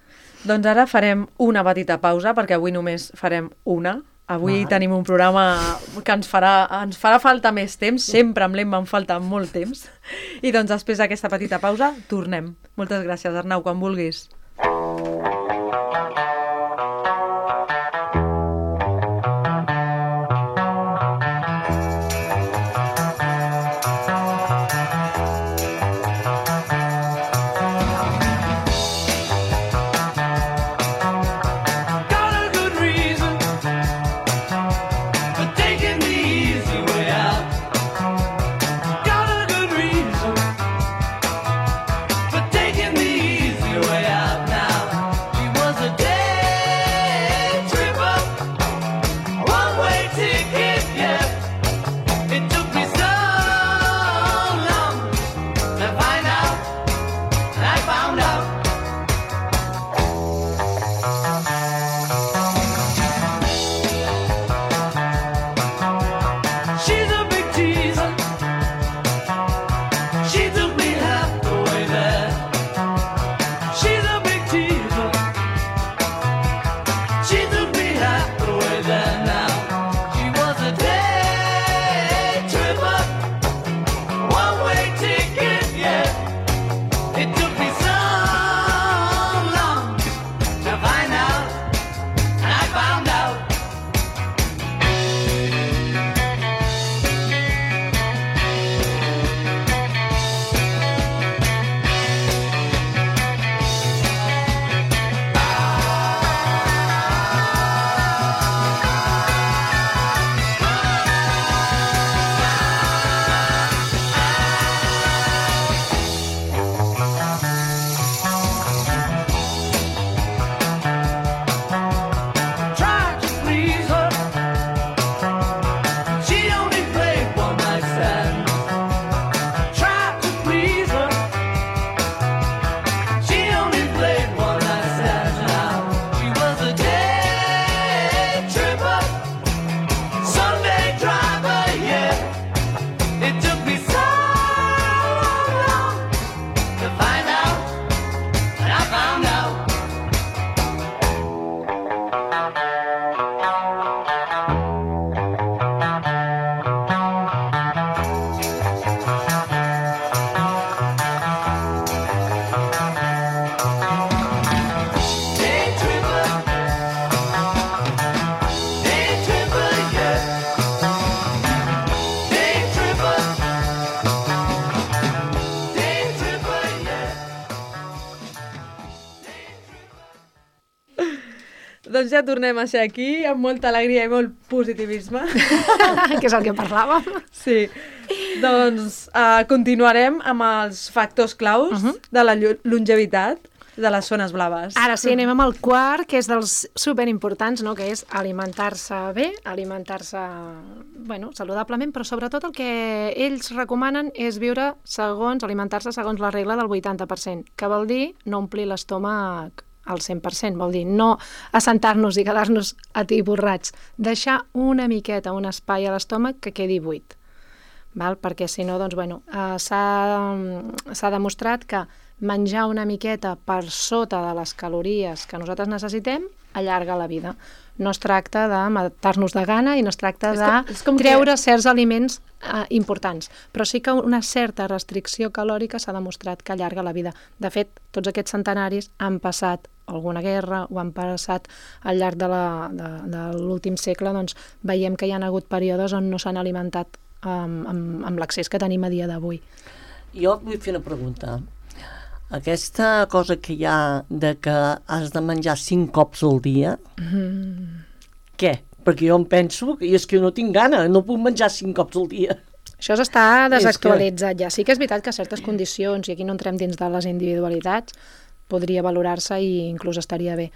Speaker 1: Doncs ara farem una petita pausa, perquè avui només farem una. Avui tenim un programa que ens farà falta més temps, sempre amb l'Emma em falta molt temps. I doncs després d'aquesta petita pausa tornem. Moltes gràcies, Arnau, quan vulguis.
Speaker 2: Way out.
Speaker 1: Doncs ja tornem a ser aquí, amb molta alegria i molt positivisme.
Speaker 3: que és el que parlàvem.
Speaker 1: Sí. Doncs continuarem amb els factors claus de la longevitat de les zones blaves.
Speaker 3: Ara sí, anem amb el quart, que és dels superimportants, no? Que és alimentar-se bé, alimentar-se saludablement, però sobretot el que ells recomanen és alimentar-se segons la regla del 80%, que vol dir no omplir l'estómac al 100%, vol dir no assentar-nos i quedar-nos atiborrats, deixar una miqueta, un espai a l'estómac que quedi buit. Perquè si no, s'ha demostrat que menjar una miqueta per sota de les calories que nosaltres necessitem allarga la vida. No es tracta de matar-nos de gana i no es tracta de treure certs aliments importants, però sí que una certa restricció calòrica s'ha demostrat que allarga la vida. De fet, tots aquests centenaris han passat alguna guerra o han passat al llarg de l'últim segle, doncs veiem que hi ha hagut períodes on no s'han alimentat amb l'accés que tenim a dia d'avui.
Speaker 4: Jo vull fer una pregunta. Aquesta cosa que hi ha de que has de menjar 5 cops al dia, què? Perquè jo em penso, i és que no tinc gana, no puc menjar 5 cops al dia.
Speaker 3: Això està desactualitzat ja. Sí que és veritat que certes condicions, i aquí no entrem dins de les individualitats, podria valorar-se i inclús estaria bé.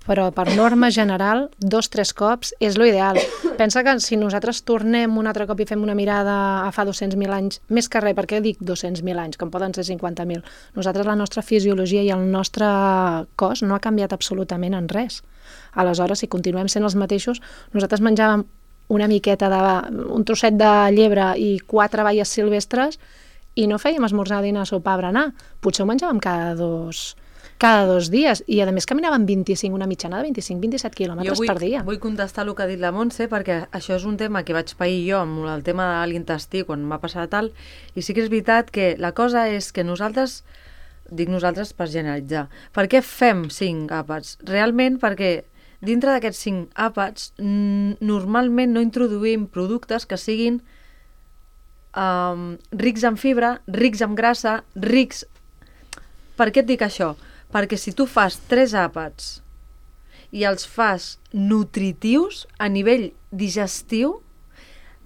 Speaker 3: Però per norma general, 2-3 cops és l'ideal. Pensa que si nosaltres tornem un altre cop i fem una mirada a fa 200.000 anys, més que res, per què dic 200.000 anys, com poden ser 50.000? Nosaltres, la nostra fisiologia i el nostre cos no ha canviat absolutament en res. Aleshores, si continuem sent els mateixos, nosaltres menjàvem una miqueta un trosset de llebre i 4 baies silvestres i no fèiem esmorzar, dinar, sopar, berenar. Potser ho menjàvem cada dos dies, i a més caminaven una mitjana de 25-27 quilòmetres per dia.
Speaker 1: Jo vull contestar el que ha dit la Montse, perquè això és un tema que vaig pair jo amb el tema de l'intestí quan m'ha passat tal, i sí que és veritat que la cosa és que nosaltres, dic nosaltres per generalitzar, per què fem 5 àpats? Realment perquè dintre d'aquests 5 àpats normalment no introduïm productes que siguin rics en fibra, rics en grassa, rics... Per què et dic això? Perquè si tu fas 3 àpats i els fas nutritius a nivell digestiu,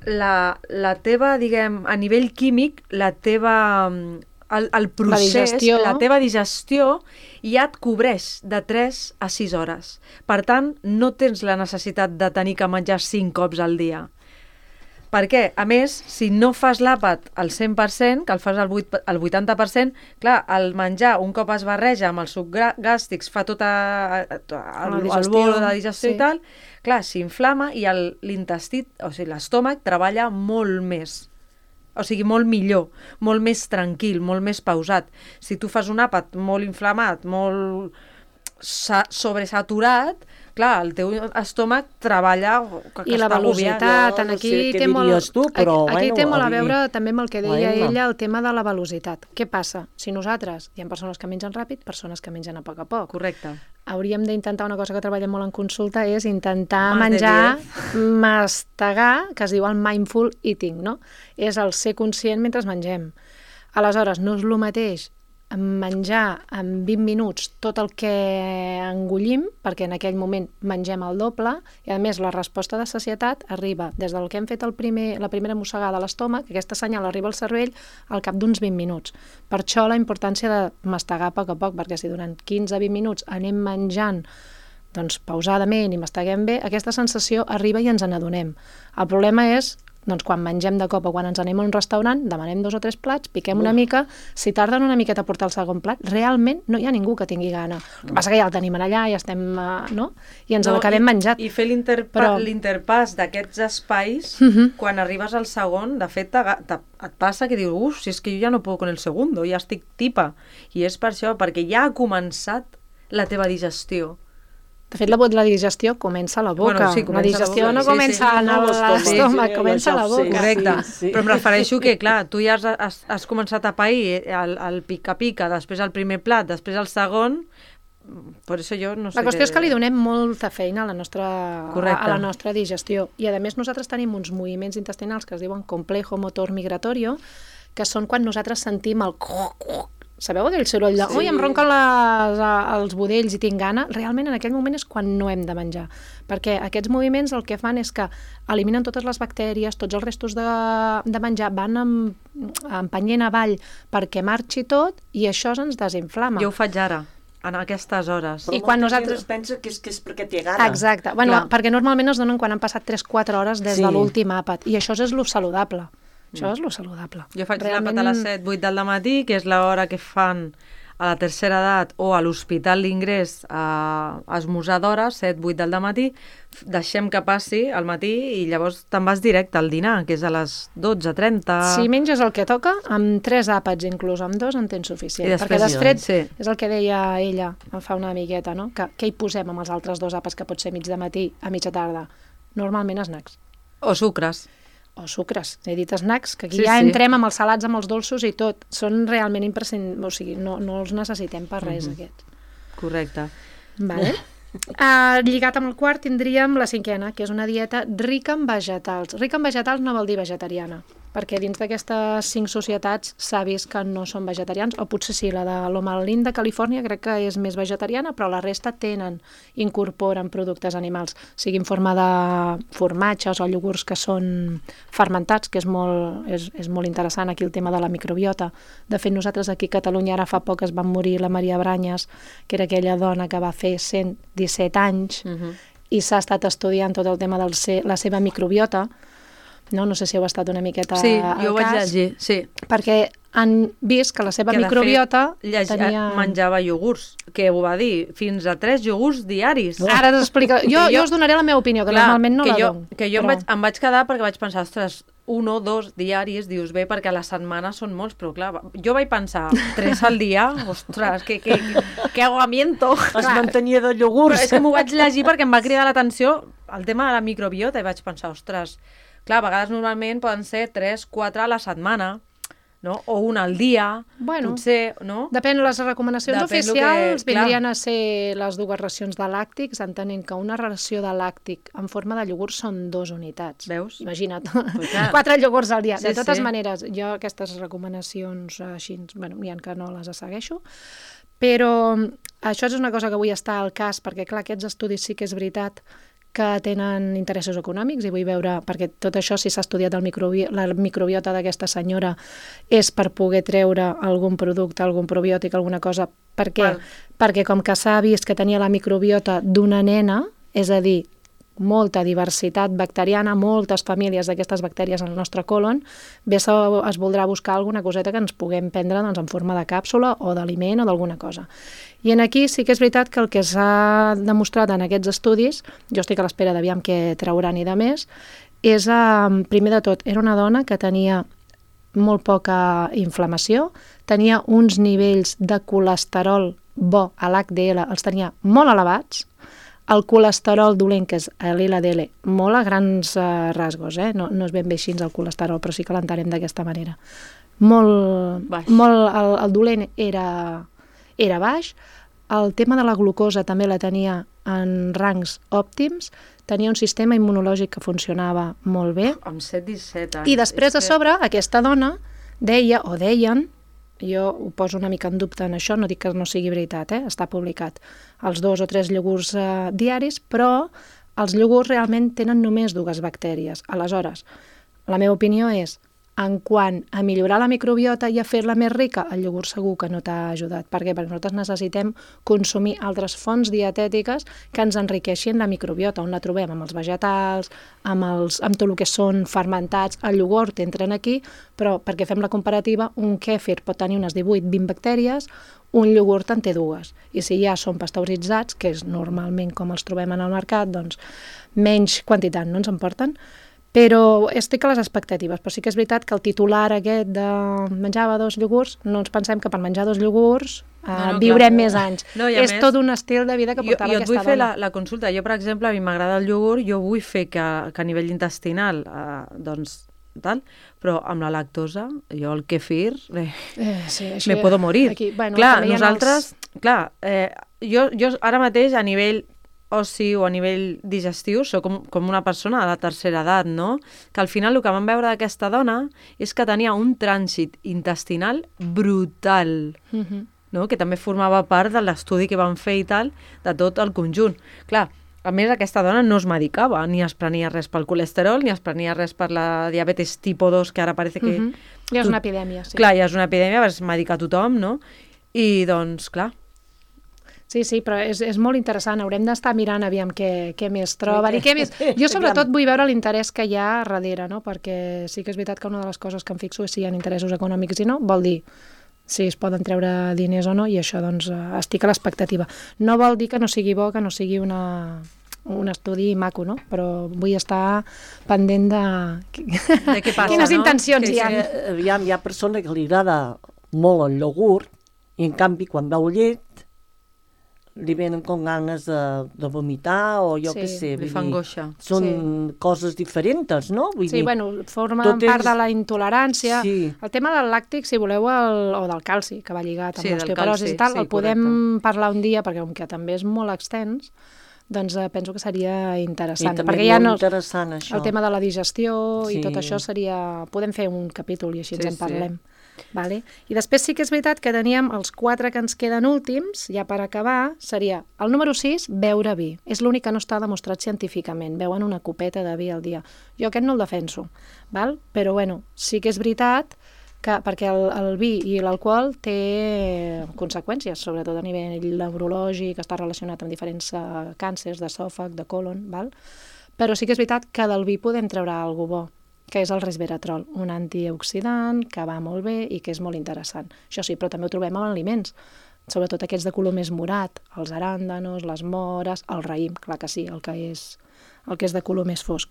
Speaker 1: la teva, diguem, a nivell químic, el procés, la teva digestió ja et cobreix de 3 a 6 hores. Per tant, no tens la necessitat de tenir que menjar 5 cops al dia. Perquè, a més, si no fas l'àpat al 100%, que el fas al 80%, clar, el menjar un cop es barreja amb els sucs gàstrics fa tot el bolo de digestió i tal, clar, s'inflama i l'intestí, o sigui, l'estómac treballa molt més. O sigui, molt millor, molt més tranquil, molt més pausat. Si tu fas un àpat molt inflamat, molt sobresaturat, clar, el teu estómac treballa...
Speaker 3: I la velocitat, aquí té molt a veure també amb el que deia ella, el tema de la velocitat. Què passa? Si nosaltres, hi ha persones que mengen ràpid, persones que mengen a poc a poc.
Speaker 1: Correcte.
Speaker 3: Hauríem d'intentar, una cosa que treballem molt en consulta, és intentar menjar, mastegar, que es diu el mindful eating, no? És el ser conscient mentre mengem. Aleshores, no és el mateix menjar en 20 minuts tot el que engollim, perquè en aquell moment mengem el doble, i a més la resposta de sacietat arriba des del que hem fet la primera mossegada a l'estómac, aquesta senyal arriba al cervell al cap d'uns 20 minuts. Per això la importància de mastegar a poc a poc, perquè si durant 15-20 minuts anem menjant pausadament i masteguem bé, aquesta sensació arriba i ens n'adonem. El problema és quan mengem de cop o quan ens anem a un restaurant, demanem 2 o 3 plats, piquem una mica, si tarden una miqueta a portar el segon plat, realment no hi ha ningú que tingui gana. El que passa que ja el tenim allà, ja estem, no? I ens l'acabem menjat.
Speaker 1: I fer l'interpàs d'aquests espais, quan arribes al segon, de fet, et passa que dius, si és que jo ja no puc con el segundo, ja estic tipa. I és per això, perquè ja ha començat la teva digestió.
Speaker 3: De fet, la digestió comença a la boca.
Speaker 1: Bueno, sí,
Speaker 3: la digestió no comença en l'estómac, comença a la boca.
Speaker 1: Correcte. Però em refereixo que, clar, tu ja has començat a pair el pica-pica, després el primer plat, després el segon, per això jo no sé...
Speaker 3: La qüestió és que li donem molta feina a la nostra digestió. I, a més, nosaltres tenim uns moviments intestinals que es diuen complejo motor migratorio, que són quan nosaltres sentim el... sabeu aquell soroll de ui, em ronquen els budells i tinc gana? Realment en aquell moment és quan no hem de menjar, perquè aquests moviments el que fan és que eliminen totes les bactèries, tots els restos de menjar, van empenyent avall perquè marxi tot i això ens desinflama.
Speaker 1: Jo ho faig ara, en aquestes hores.
Speaker 4: Però quan nosaltres... es pensa que és perquè té gana.
Speaker 3: Exacte, bueno, perquè normalment es donen quan han passat 3-4 hores des de l'últim àpat, i això és lo saludable. Això és lo saludable.
Speaker 1: Jo faig l'àpat a les 7-8 del matí, que és l'hora que fan a la tercera edat o a l'hospital d'ingrés a esmorzar d'hora, 7-8 del matí, deixem que passi al matí i llavors te'n vas directe al dinar, que és a les 12:30.
Speaker 3: Si menges el que toca, amb 3 àpats inclús, amb 2 en tens suficient. Perquè després és el que deia ella fa una miqueta, no? Que què hi posem amb els altres 2 àpats que pot ser mig de matí a mitja tarda? Normalment snacks.
Speaker 1: O sucres.
Speaker 3: O sucres, he dit snacks, que aquí entrem amb els salats, amb els dolços i tot. Són realment imprescindibles, o sigui, no els necessitem per res, aquests.
Speaker 1: Correcte.
Speaker 3: Vale. Lligat amb el quart tindríem la 5ena, que és una dieta rica en vegetals. Rica en vegetals no vol dir vegetariana, perquè dins d'aquestes 5 societats s'ha vist que no són vegetarians, o potser sí, la de Loma Linda, Califòrnia, crec que és més vegetariana, però la resta incorporen productes animals, sigui en forma de formatges o iogurts que són fermentats, que és molt interessant aquí el tema de la microbiota. De fet, nosaltres aquí a Catalunya ara fa poc es va morir la Maria Branyes, que era aquella dona que va fer 117 anys, i s'ha estat estudiant tot el tema de la seva microbiota. No sé si heu estat una miqueta al cas.
Speaker 1: Sí, jo ho vaig llegir, sí.
Speaker 3: Perquè han vist que la seva microbiota
Speaker 1: menjava iogurts, que ho va dir, fins a 3 iogurts diaris.
Speaker 3: Ara t'explico. Jo us donaré la meva opinió, que normalment no la dono.
Speaker 1: Que jo em vaig quedar perquè vaig pensar, ostres, 1 o 2 diaris, dius bé, perquè a la setmana són molts, però clar, jo vaig pensar, 3 al dia, ostres, que aguamiento.
Speaker 4: Es mantenia de iogurts.
Speaker 1: Però és que m'ho vaig llegir perquè em va cridar l'atenció el tema de la microbiota i vaig pensar, ostres, clar, a vegades normalment poden ser 3-4 a la setmana, no? O 1 al dia, potser, no?
Speaker 3: Depèn, les recomanacions oficials vindrien a ser les 2 racions de làctics, entenent que una ració de làctic en forma de iogurt són 2 unitats.
Speaker 1: Veus?
Speaker 3: Imagina't, 4 iogurts al dia. De totes maneres, jo aquestes recomanacions així, n'hi ha que no les segueixo, però això és una cosa que vull estar al cas, perquè clar, aquests estudis sí que és veritat que tenen interessos econòmics, i vull veure, perquè tot això, si s'ha estudiat la microbiota d'aquesta senyora, és per poder treure algun producte, algun probiòtic, alguna cosa. Per què? Perquè com que s'ha vist que tenia la microbiota d'una nena, és a dir, molta diversitat bacteriana, moltes famílies d'aquestes bactèries en el nostre colon, bé es voldrà buscar alguna coseta que ens puguem prendre en forma de càpsula o d'aliment o d'alguna cosa. I aquí sí que és veritat que el que s'ha demostrat en aquests estudis, jo estic a l'espera d'aviam què trauran i de més, és, primer de tot, era una dona que tenia molt poca inflamació, tenia uns nivells de colesterol bo a l'HDL, els tenia molt elevats, el colesterol dolent, que és l'LDL, molt a grans rasgos, no és ben bé així el colesterol, però sí que l'entenem d'aquesta manera. El dolent era baix, el tema de la glucosa també la tenia en rangs òptims, tenia un sistema immunològic que funcionava molt bé.
Speaker 1: Amb 7-17 anys.
Speaker 3: I després, a sobre, aquesta dona deien, jo ho poso una mica en dubte en això, no dic que no sigui veritat, està publicat, els 2 o 3 iogurts diaris, però els iogurts realment tenen només 2 bactèries. Aleshores, la meva opinió és, en quant a millorar la microbiota i a fer-la més rica, el iogurt segur que no t'ha ajudat. Per què? Perquè nosaltres necessitem consumir altres fonts dietètiques que ens enriqueixin la microbiota, on la trobem amb els vegetals, amb tot el que són fermentats. El iogurt entren aquí, però perquè fem la comparativa, un kèfir pot tenir unes 18-20 bactèries, un iogurt en té 2. I si ja són pasteuritzats, que és normalment com els trobem en el mercat, doncs menys quantitat no ens en porten. Però estic a les expectatives, però sí que és veritat que el titular aquest de menjava 2 iogurts, no ens pensem que per menjar 2 iogurts viurem més anys. És tot un estil de vida que portava aquesta dona.
Speaker 1: Jo et vull fer la consulta. Jo, per exemple, a mi m'agrada el iogurt, jo vull fer que a nivell intestinal, doncs, tal, però amb la lactosa, jo el kefir, me puedo morir. Clar, nosaltres, jo ara mateix a nivell oci o a nivell digestiu sóc com una persona de la tercera edat, no? Que al final el que vam veure d'aquesta dona és que tenia un trànsit intestinal brutal, no? Que també formava part de l'estudi que van fer i tal, de tot el conjunt. Clar, a més aquesta dona no es medicava, ni es prenia res pel colesterol, ni es prenia res per la diabetes tipus 2, que ara parece que...
Speaker 3: Ja és una epidèmia, sí.
Speaker 1: Clar, ja és una epidèmia, es medica tothom, no? I doncs, clar...
Speaker 3: Sí, però és molt interessant. Haurem d'estar mirant aviam què més troben i què més... Jo sobretot vull veure l'interès que hi ha darrere, no? Perquè sí que és veritat que una de les coses que em fixo és si hi ha interessos econòmics i no, vol dir si es poden treure diners o no, i això doncs estic a l'expectativa. No vol dir que no sigui bo, que no sigui un estudi maco, no? Però vull estar pendent de
Speaker 1: què passa,
Speaker 3: quines
Speaker 1: no?
Speaker 3: intencions hi ha.
Speaker 4: Aviam, hi ha persona que li agrada molt el iogurt i en canvi quan veu llet li venen com ganes de vomitar o jo què sé.
Speaker 1: Li fa angoixa.
Speaker 4: Són coses diferents, no? Vull dir,
Speaker 3: bueno, formen part de la intolerància.
Speaker 4: Sí.
Speaker 3: El tema del làctic, si voleu, o del calci, que va lligat amb l'osteoporosi i tal, el podem parlar un dia, perquè com que també és molt extens, doncs penso que seria interessant.
Speaker 4: I també
Speaker 3: perquè
Speaker 4: molt interessant, això.
Speaker 3: El tema de la digestió i tot això seria... Podem fer un capítol i així ens en parlem. Vale? I després sí que és veritat que teníem els 4 que ens queden últims, ja per acabar, seria el número 6, beure vi. És l'únic que no està demostrat científicament. Beuen una copeta de vi al dia. Jo aquest no el defenso, val? Però bueno, sí que és veritat que, perquè el vi i l'alcohol té conseqüències, sobretot a nivell neurològic, està relacionat amb diferents càncers d'esòfag, de colon, val? Però sí que és veritat que del vi podem treure alguna bo, que és el resveratrol, un antioxidant que va molt bé i que és molt interessant. Això sí, però també ho trobem en aliments, sobretot aquests de color més morat, els aràndanos, les mores, el raïm, clar que sí, el que és de color més fosc.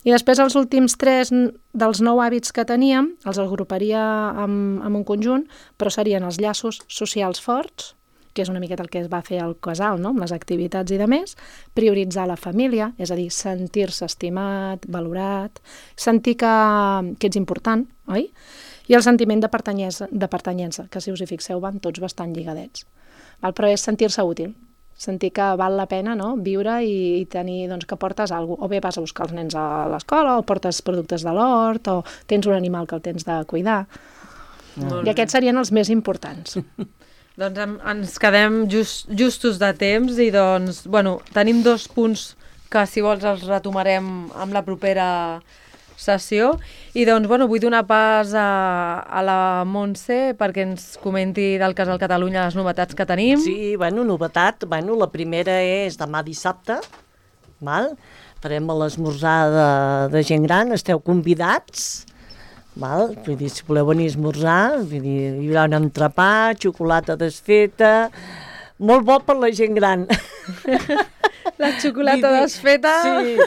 Speaker 3: I després els últims 3 dels 9 hàbits que teníem, els agruparia en un conjunt, però serien els llaços socials forts, que és una miqueta el que es va fer al casal, no? Amb les activitats i de més, prioritzar la família, és a dir, sentir-se estimat, valorat, sentir que ets important, oi? I el sentiment de pertanyença, que si us hi fixeu van tots bastant lligadets. Però és sentir-se útil, sentir que val la pena, no? Viure i tenir doncs, que portes alguna cosa, o bé vas a buscar els nens a l'escola, o portes productes de l'hort, o tens un animal que el tens de cuidar. I aquests serien els més importants.
Speaker 1: Doncs ens quedem justos de temps i doncs, bueno, tenim 2 punts que si vols els retomarem amb la propera sessió i doncs, bueno, vull donar pas a la Montse perquè ens comenti del Casal Catalunya les novetats que tenim.
Speaker 4: Sí, novetat, la primera és demà dissabte, val? Farem l'esmorzar de gent gran, esteu convidats. Val? Vull dir, si voleu venir a esmorzar, vull dir, hi haurà un entrepà, xocolata desfeta, molt bo per la gent gran.
Speaker 1: La xocolata desfeta.
Speaker 4: Sí,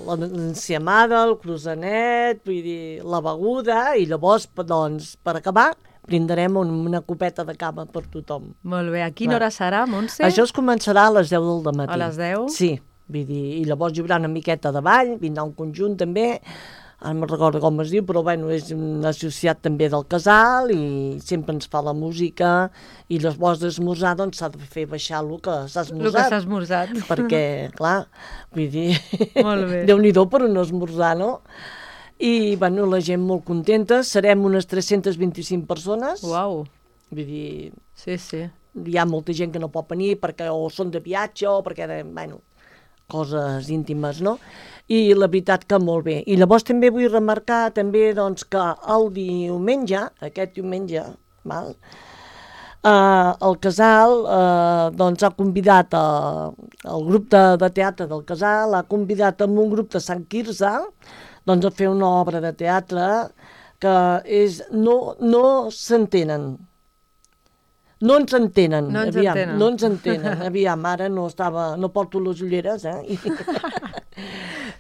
Speaker 4: l'enciamada, el croissanet, vull dir, la beguda, i llavors, doncs, per acabar, brindarem una copeta de cava per tothom.
Speaker 1: Molt bé, a quina hora serà, Montse?
Speaker 4: Això es començarà a les 10 del dematí.
Speaker 1: A les 10?
Speaker 4: Sí. Vull dir, i llavors hi haurà una miqueta de ball, vindrà un conjunt també, ara no recordo com es diu, però és un associat també del casal i sempre ens fa la música i llavors d'esmorzar doncs s'ha de fer baixar el que s'ha esmorzat.
Speaker 1: El que s'ha esmorzat.
Speaker 4: Perquè, clar, vull dir,
Speaker 1: molt bé.
Speaker 4: Déu-n'hi-do per no esmorzar, no? I, la gent molt contenta, serem unes 325 persones.
Speaker 1: Uau.
Speaker 4: Vull dir,
Speaker 1: sí.
Speaker 4: Hi ha molta gent que no pot venir perquè o són de viatge o perquè, coses íntimes, no? I la veritat que molt bé. I llavors també vull remarcar també doncs, que el diumenge, aquest diumenge, el casal doncs, ha convidat el grup de teatre del casal, ha convidat amb un grup de Sant Quirze doncs, a fer una obra de teatre que és no s'entenen. No ens entenen, aviam, ara no porto les ulleres,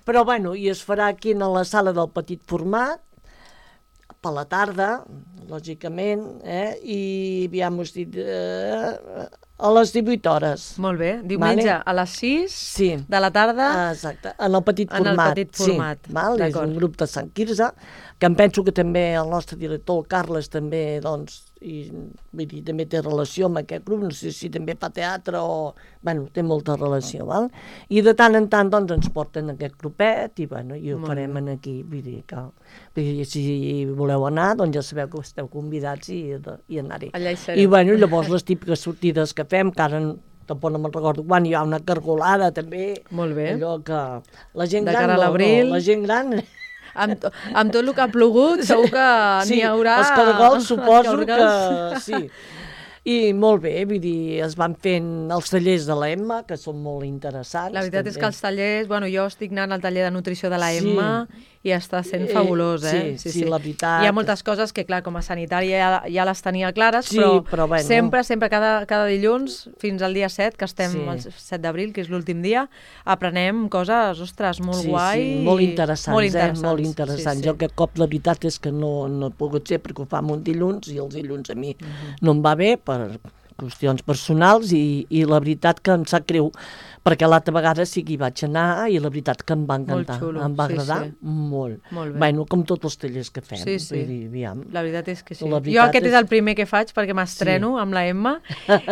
Speaker 4: Però, i es farà aquí a la sala del petit format, per la tarda, lògicament, i aviam, us dic, a les 18 hores.
Speaker 1: Molt bé, diumenge a les 6 de la tarda.
Speaker 4: Exacte, en el petit format.
Speaker 1: En el petit format,
Speaker 4: sí, és un grup de Sant Quirze, que em penso que també el nostre director, el Carles, també, doncs, i, vull dir, també té relació amb aquest grup, no sé si també fa teatre o... Bueno, té molta relació, val? I de tant en tant, doncs, ens porten aquest grupet i, bueno, i ho farem aquí, vull dir que si voleu anar, doncs ja sabeu que esteu convidats i anar-hi.
Speaker 1: Allà hi serem.
Speaker 4: I, bueno, llavors les típiques sortides que fem, que ara tampoc no me'n recordo quan, hi ha una cargolada també.
Speaker 1: Molt bé.
Speaker 4: Allò que la gent
Speaker 1: De
Speaker 4: gran
Speaker 1: cara a l'abril.
Speaker 4: la gent gran...
Speaker 1: Amb tot el que ha plogut, segur que n'hi haurà...
Speaker 4: els cargols suposo que sí. I molt bé, vull dir, es van fent els tallers de l'Emma, que són molt interessants.
Speaker 1: La veritat és que els tallers... Bueno, jo estic anant al taller de nutrició de la
Speaker 4: Sí.
Speaker 1: Emma i està sent fabulós,
Speaker 4: Sí, la veritat.
Speaker 1: Hi ha moltes coses que, clar, com a sanitària ja les tenia clares,
Speaker 4: Sí,
Speaker 1: però
Speaker 4: bueno.
Speaker 1: sempre, cada dilluns, fins al dia 7, que estem el 7 d'abril, que és l'últim dia, aprenem coses, ostres, molt guai.
Speaker 4: Sí, molt interessants, molt interessants.
Speaker 1: Sí.
Speaker 4: Jo aquest cop la veritat és que no he pogut ser perquè ho fam un dilluns i els dilluns a mi no em va bé per qüestions personals i la veritat que em sap greu perquè l'altra vegada sí que hi vaig anar i la veritat que em va encantar,
Speaker 1: Molt xulo,
Speaker 4: em va
Speaker 1: sí,
Speaker 4: agradar
Speaker 1: sí.
Speaker 4: molt.
Speaker 1: Molt bé.
Speaker 4: Bueno, com tots els tallers que fem.
Speaker 1: Sí, sí.
Speaker 4: Vull dir, aviam.
Speaker 1: La veritat és que sí.
Speaker 4: La
Speaker 1: Jo
Speaker 4: veritat
Speaker 1: aquest és el primer que faig perquè m'estreno amb la Emma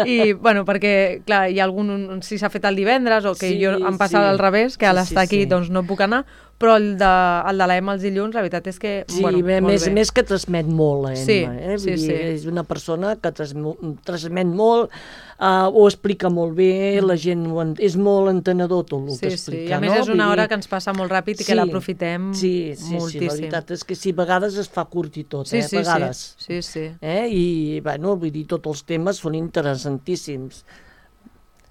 Speaker 1: i, bueno, perquè, clar, hi ha algun... Si s'ha fet el divendres o que
Speaker 4: Sí,
Speaker 1: jo em passava
Speaker 4: sí.
Speaker 1: al revés, que a l'estar aquí doncs no puc anar, però el de la Emma els dilluns, la veritat és que,
Speaker 4: Sí,
Speaker 1: bueno, molt
Speaker 4: més,
Speaker 1: bé.
Speaker 4: més que transmet molt, la Emma.
Speaker 1: Sí,
Speaker 4: Vull
Speaker 1: sí,
Speaker 4: dir,
Speaker 1: sí.
Speaker 4: És una persona que transmet molt, ho explica molt bé, la gent és molt entenedor tot el que
Speaker 1: Sí,
Speaker 4: explica.
Speaker 1: i a més
Speaker 4: no?
Speaker 1: és una
Speaker 4: Vull
Speaker 1: hora
Speaker 4: dir,
Speaker 1: que ens passa molt ràpid i que l'aprofitem moltíssim.
Speaker 4: Sí, la veritat és que sí, a vegades es fa curt i tot,
Speaker 1: Sí,
Speaker 4: a vegades.
Speaker 1: sí.
Speaker 4: I, bueno, vull dir, tots els temes són interessantíssims.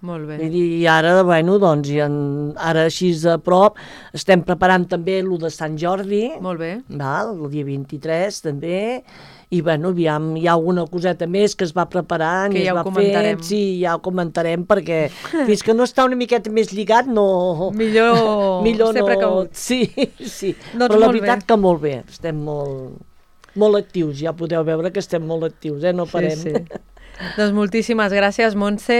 Speaker 1: Molt bé.
Speaker 4: Vull dir, i ara, bueno, doncs, ara així a prop, estem preparant també el de Sant Jordi,
Speaker 1: Molt bé.
Speaker 4: val? El dia 23 també, i bueno, aviam, hi ha alguna coseta més que es va preparant
Speaker 1: Que
Speaker 4: i
Speaker 1: ja
Speaker 4: es
Speaker 1: ho
Speaker 4: va
Speaker 1: comentarem.
Speaker 4: fent, sí, ja ho comentarem, perquè fins que no està una miqueta més lligat, no...
Speaker 1: Millor ser precaut.
Speaker 4: Sí, sí,
Speaker 1: Doncs
Speaker 4: però la
Speaker 1: molt
Speaker 4: veritat
Speaker 1: bé.
Speaker 4: que molt bé, estem molt actius, ja podeu veure que estem molt actius, no parem.
Speaker 1: Sí. Doncs moltíssimes gràcies, Montse.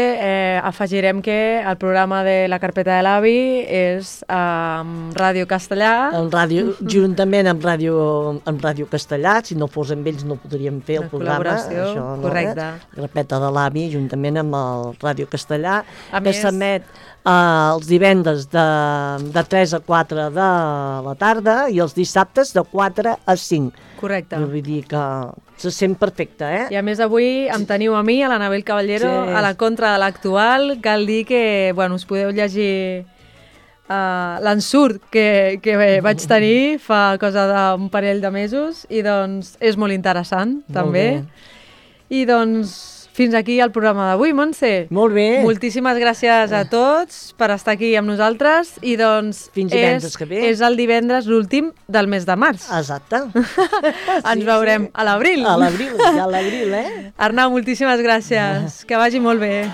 Speaker 1: Afegirem que el programa de la carpeta de l'avi és amb Ràdio Castellà.
Speaker 4: En ràdio, juntament amb ràdio Castellà, si no fos amb ells no podríem fer el
Speaker 1: Una
Speaker 4: programa.
Speaker 1: col·laboració,
Speaker 4: Això, no?
Speaker 1: correcte.
Speaker 4: La carpeta de l'avi, juntament amb el Ràdio Castellà,
Speaker 1: A
Speaker 4: que
Speaker 1: més-
Speaker 4: s'emet els divendres de 3 a 4 de la tarda i els dissabtes de 4 a 5.
Speaker 1: Correcte.
Speaker 4: Vull dir que se sent perfecte,
Speaker 1: I a més avui em teniu a mi, a l'Anabel Caballero,
Speaker 4: Sí.
Speaker 1: a la contra de l'actual. Cal dir que, bueno, us podeu llegir l'ensurt que vaig tenir fa cosa d'un parell de mesos i doncs és molt interessant, també.
Speaker 4: bé.
Speaker 1: I doncs fins aquí el programa d'avui, Montse.
Speaker 4: Molt bé.
Speaker 1: Moltíssimes gràcies a tots per estar aquí amb nosaltres i doncs
Speaker 4: Fins divendres que ve.
Speaker 1: és el divendres l'últim del mes de març.
Speaker 4: Exacte.
Speaker 1: Ens veurem a l'abril.
Speaker 4: A l'abril, ja a l'abril,
Speaker 1: Arnau, moltíssimes gràcies. Que vagi molt bé.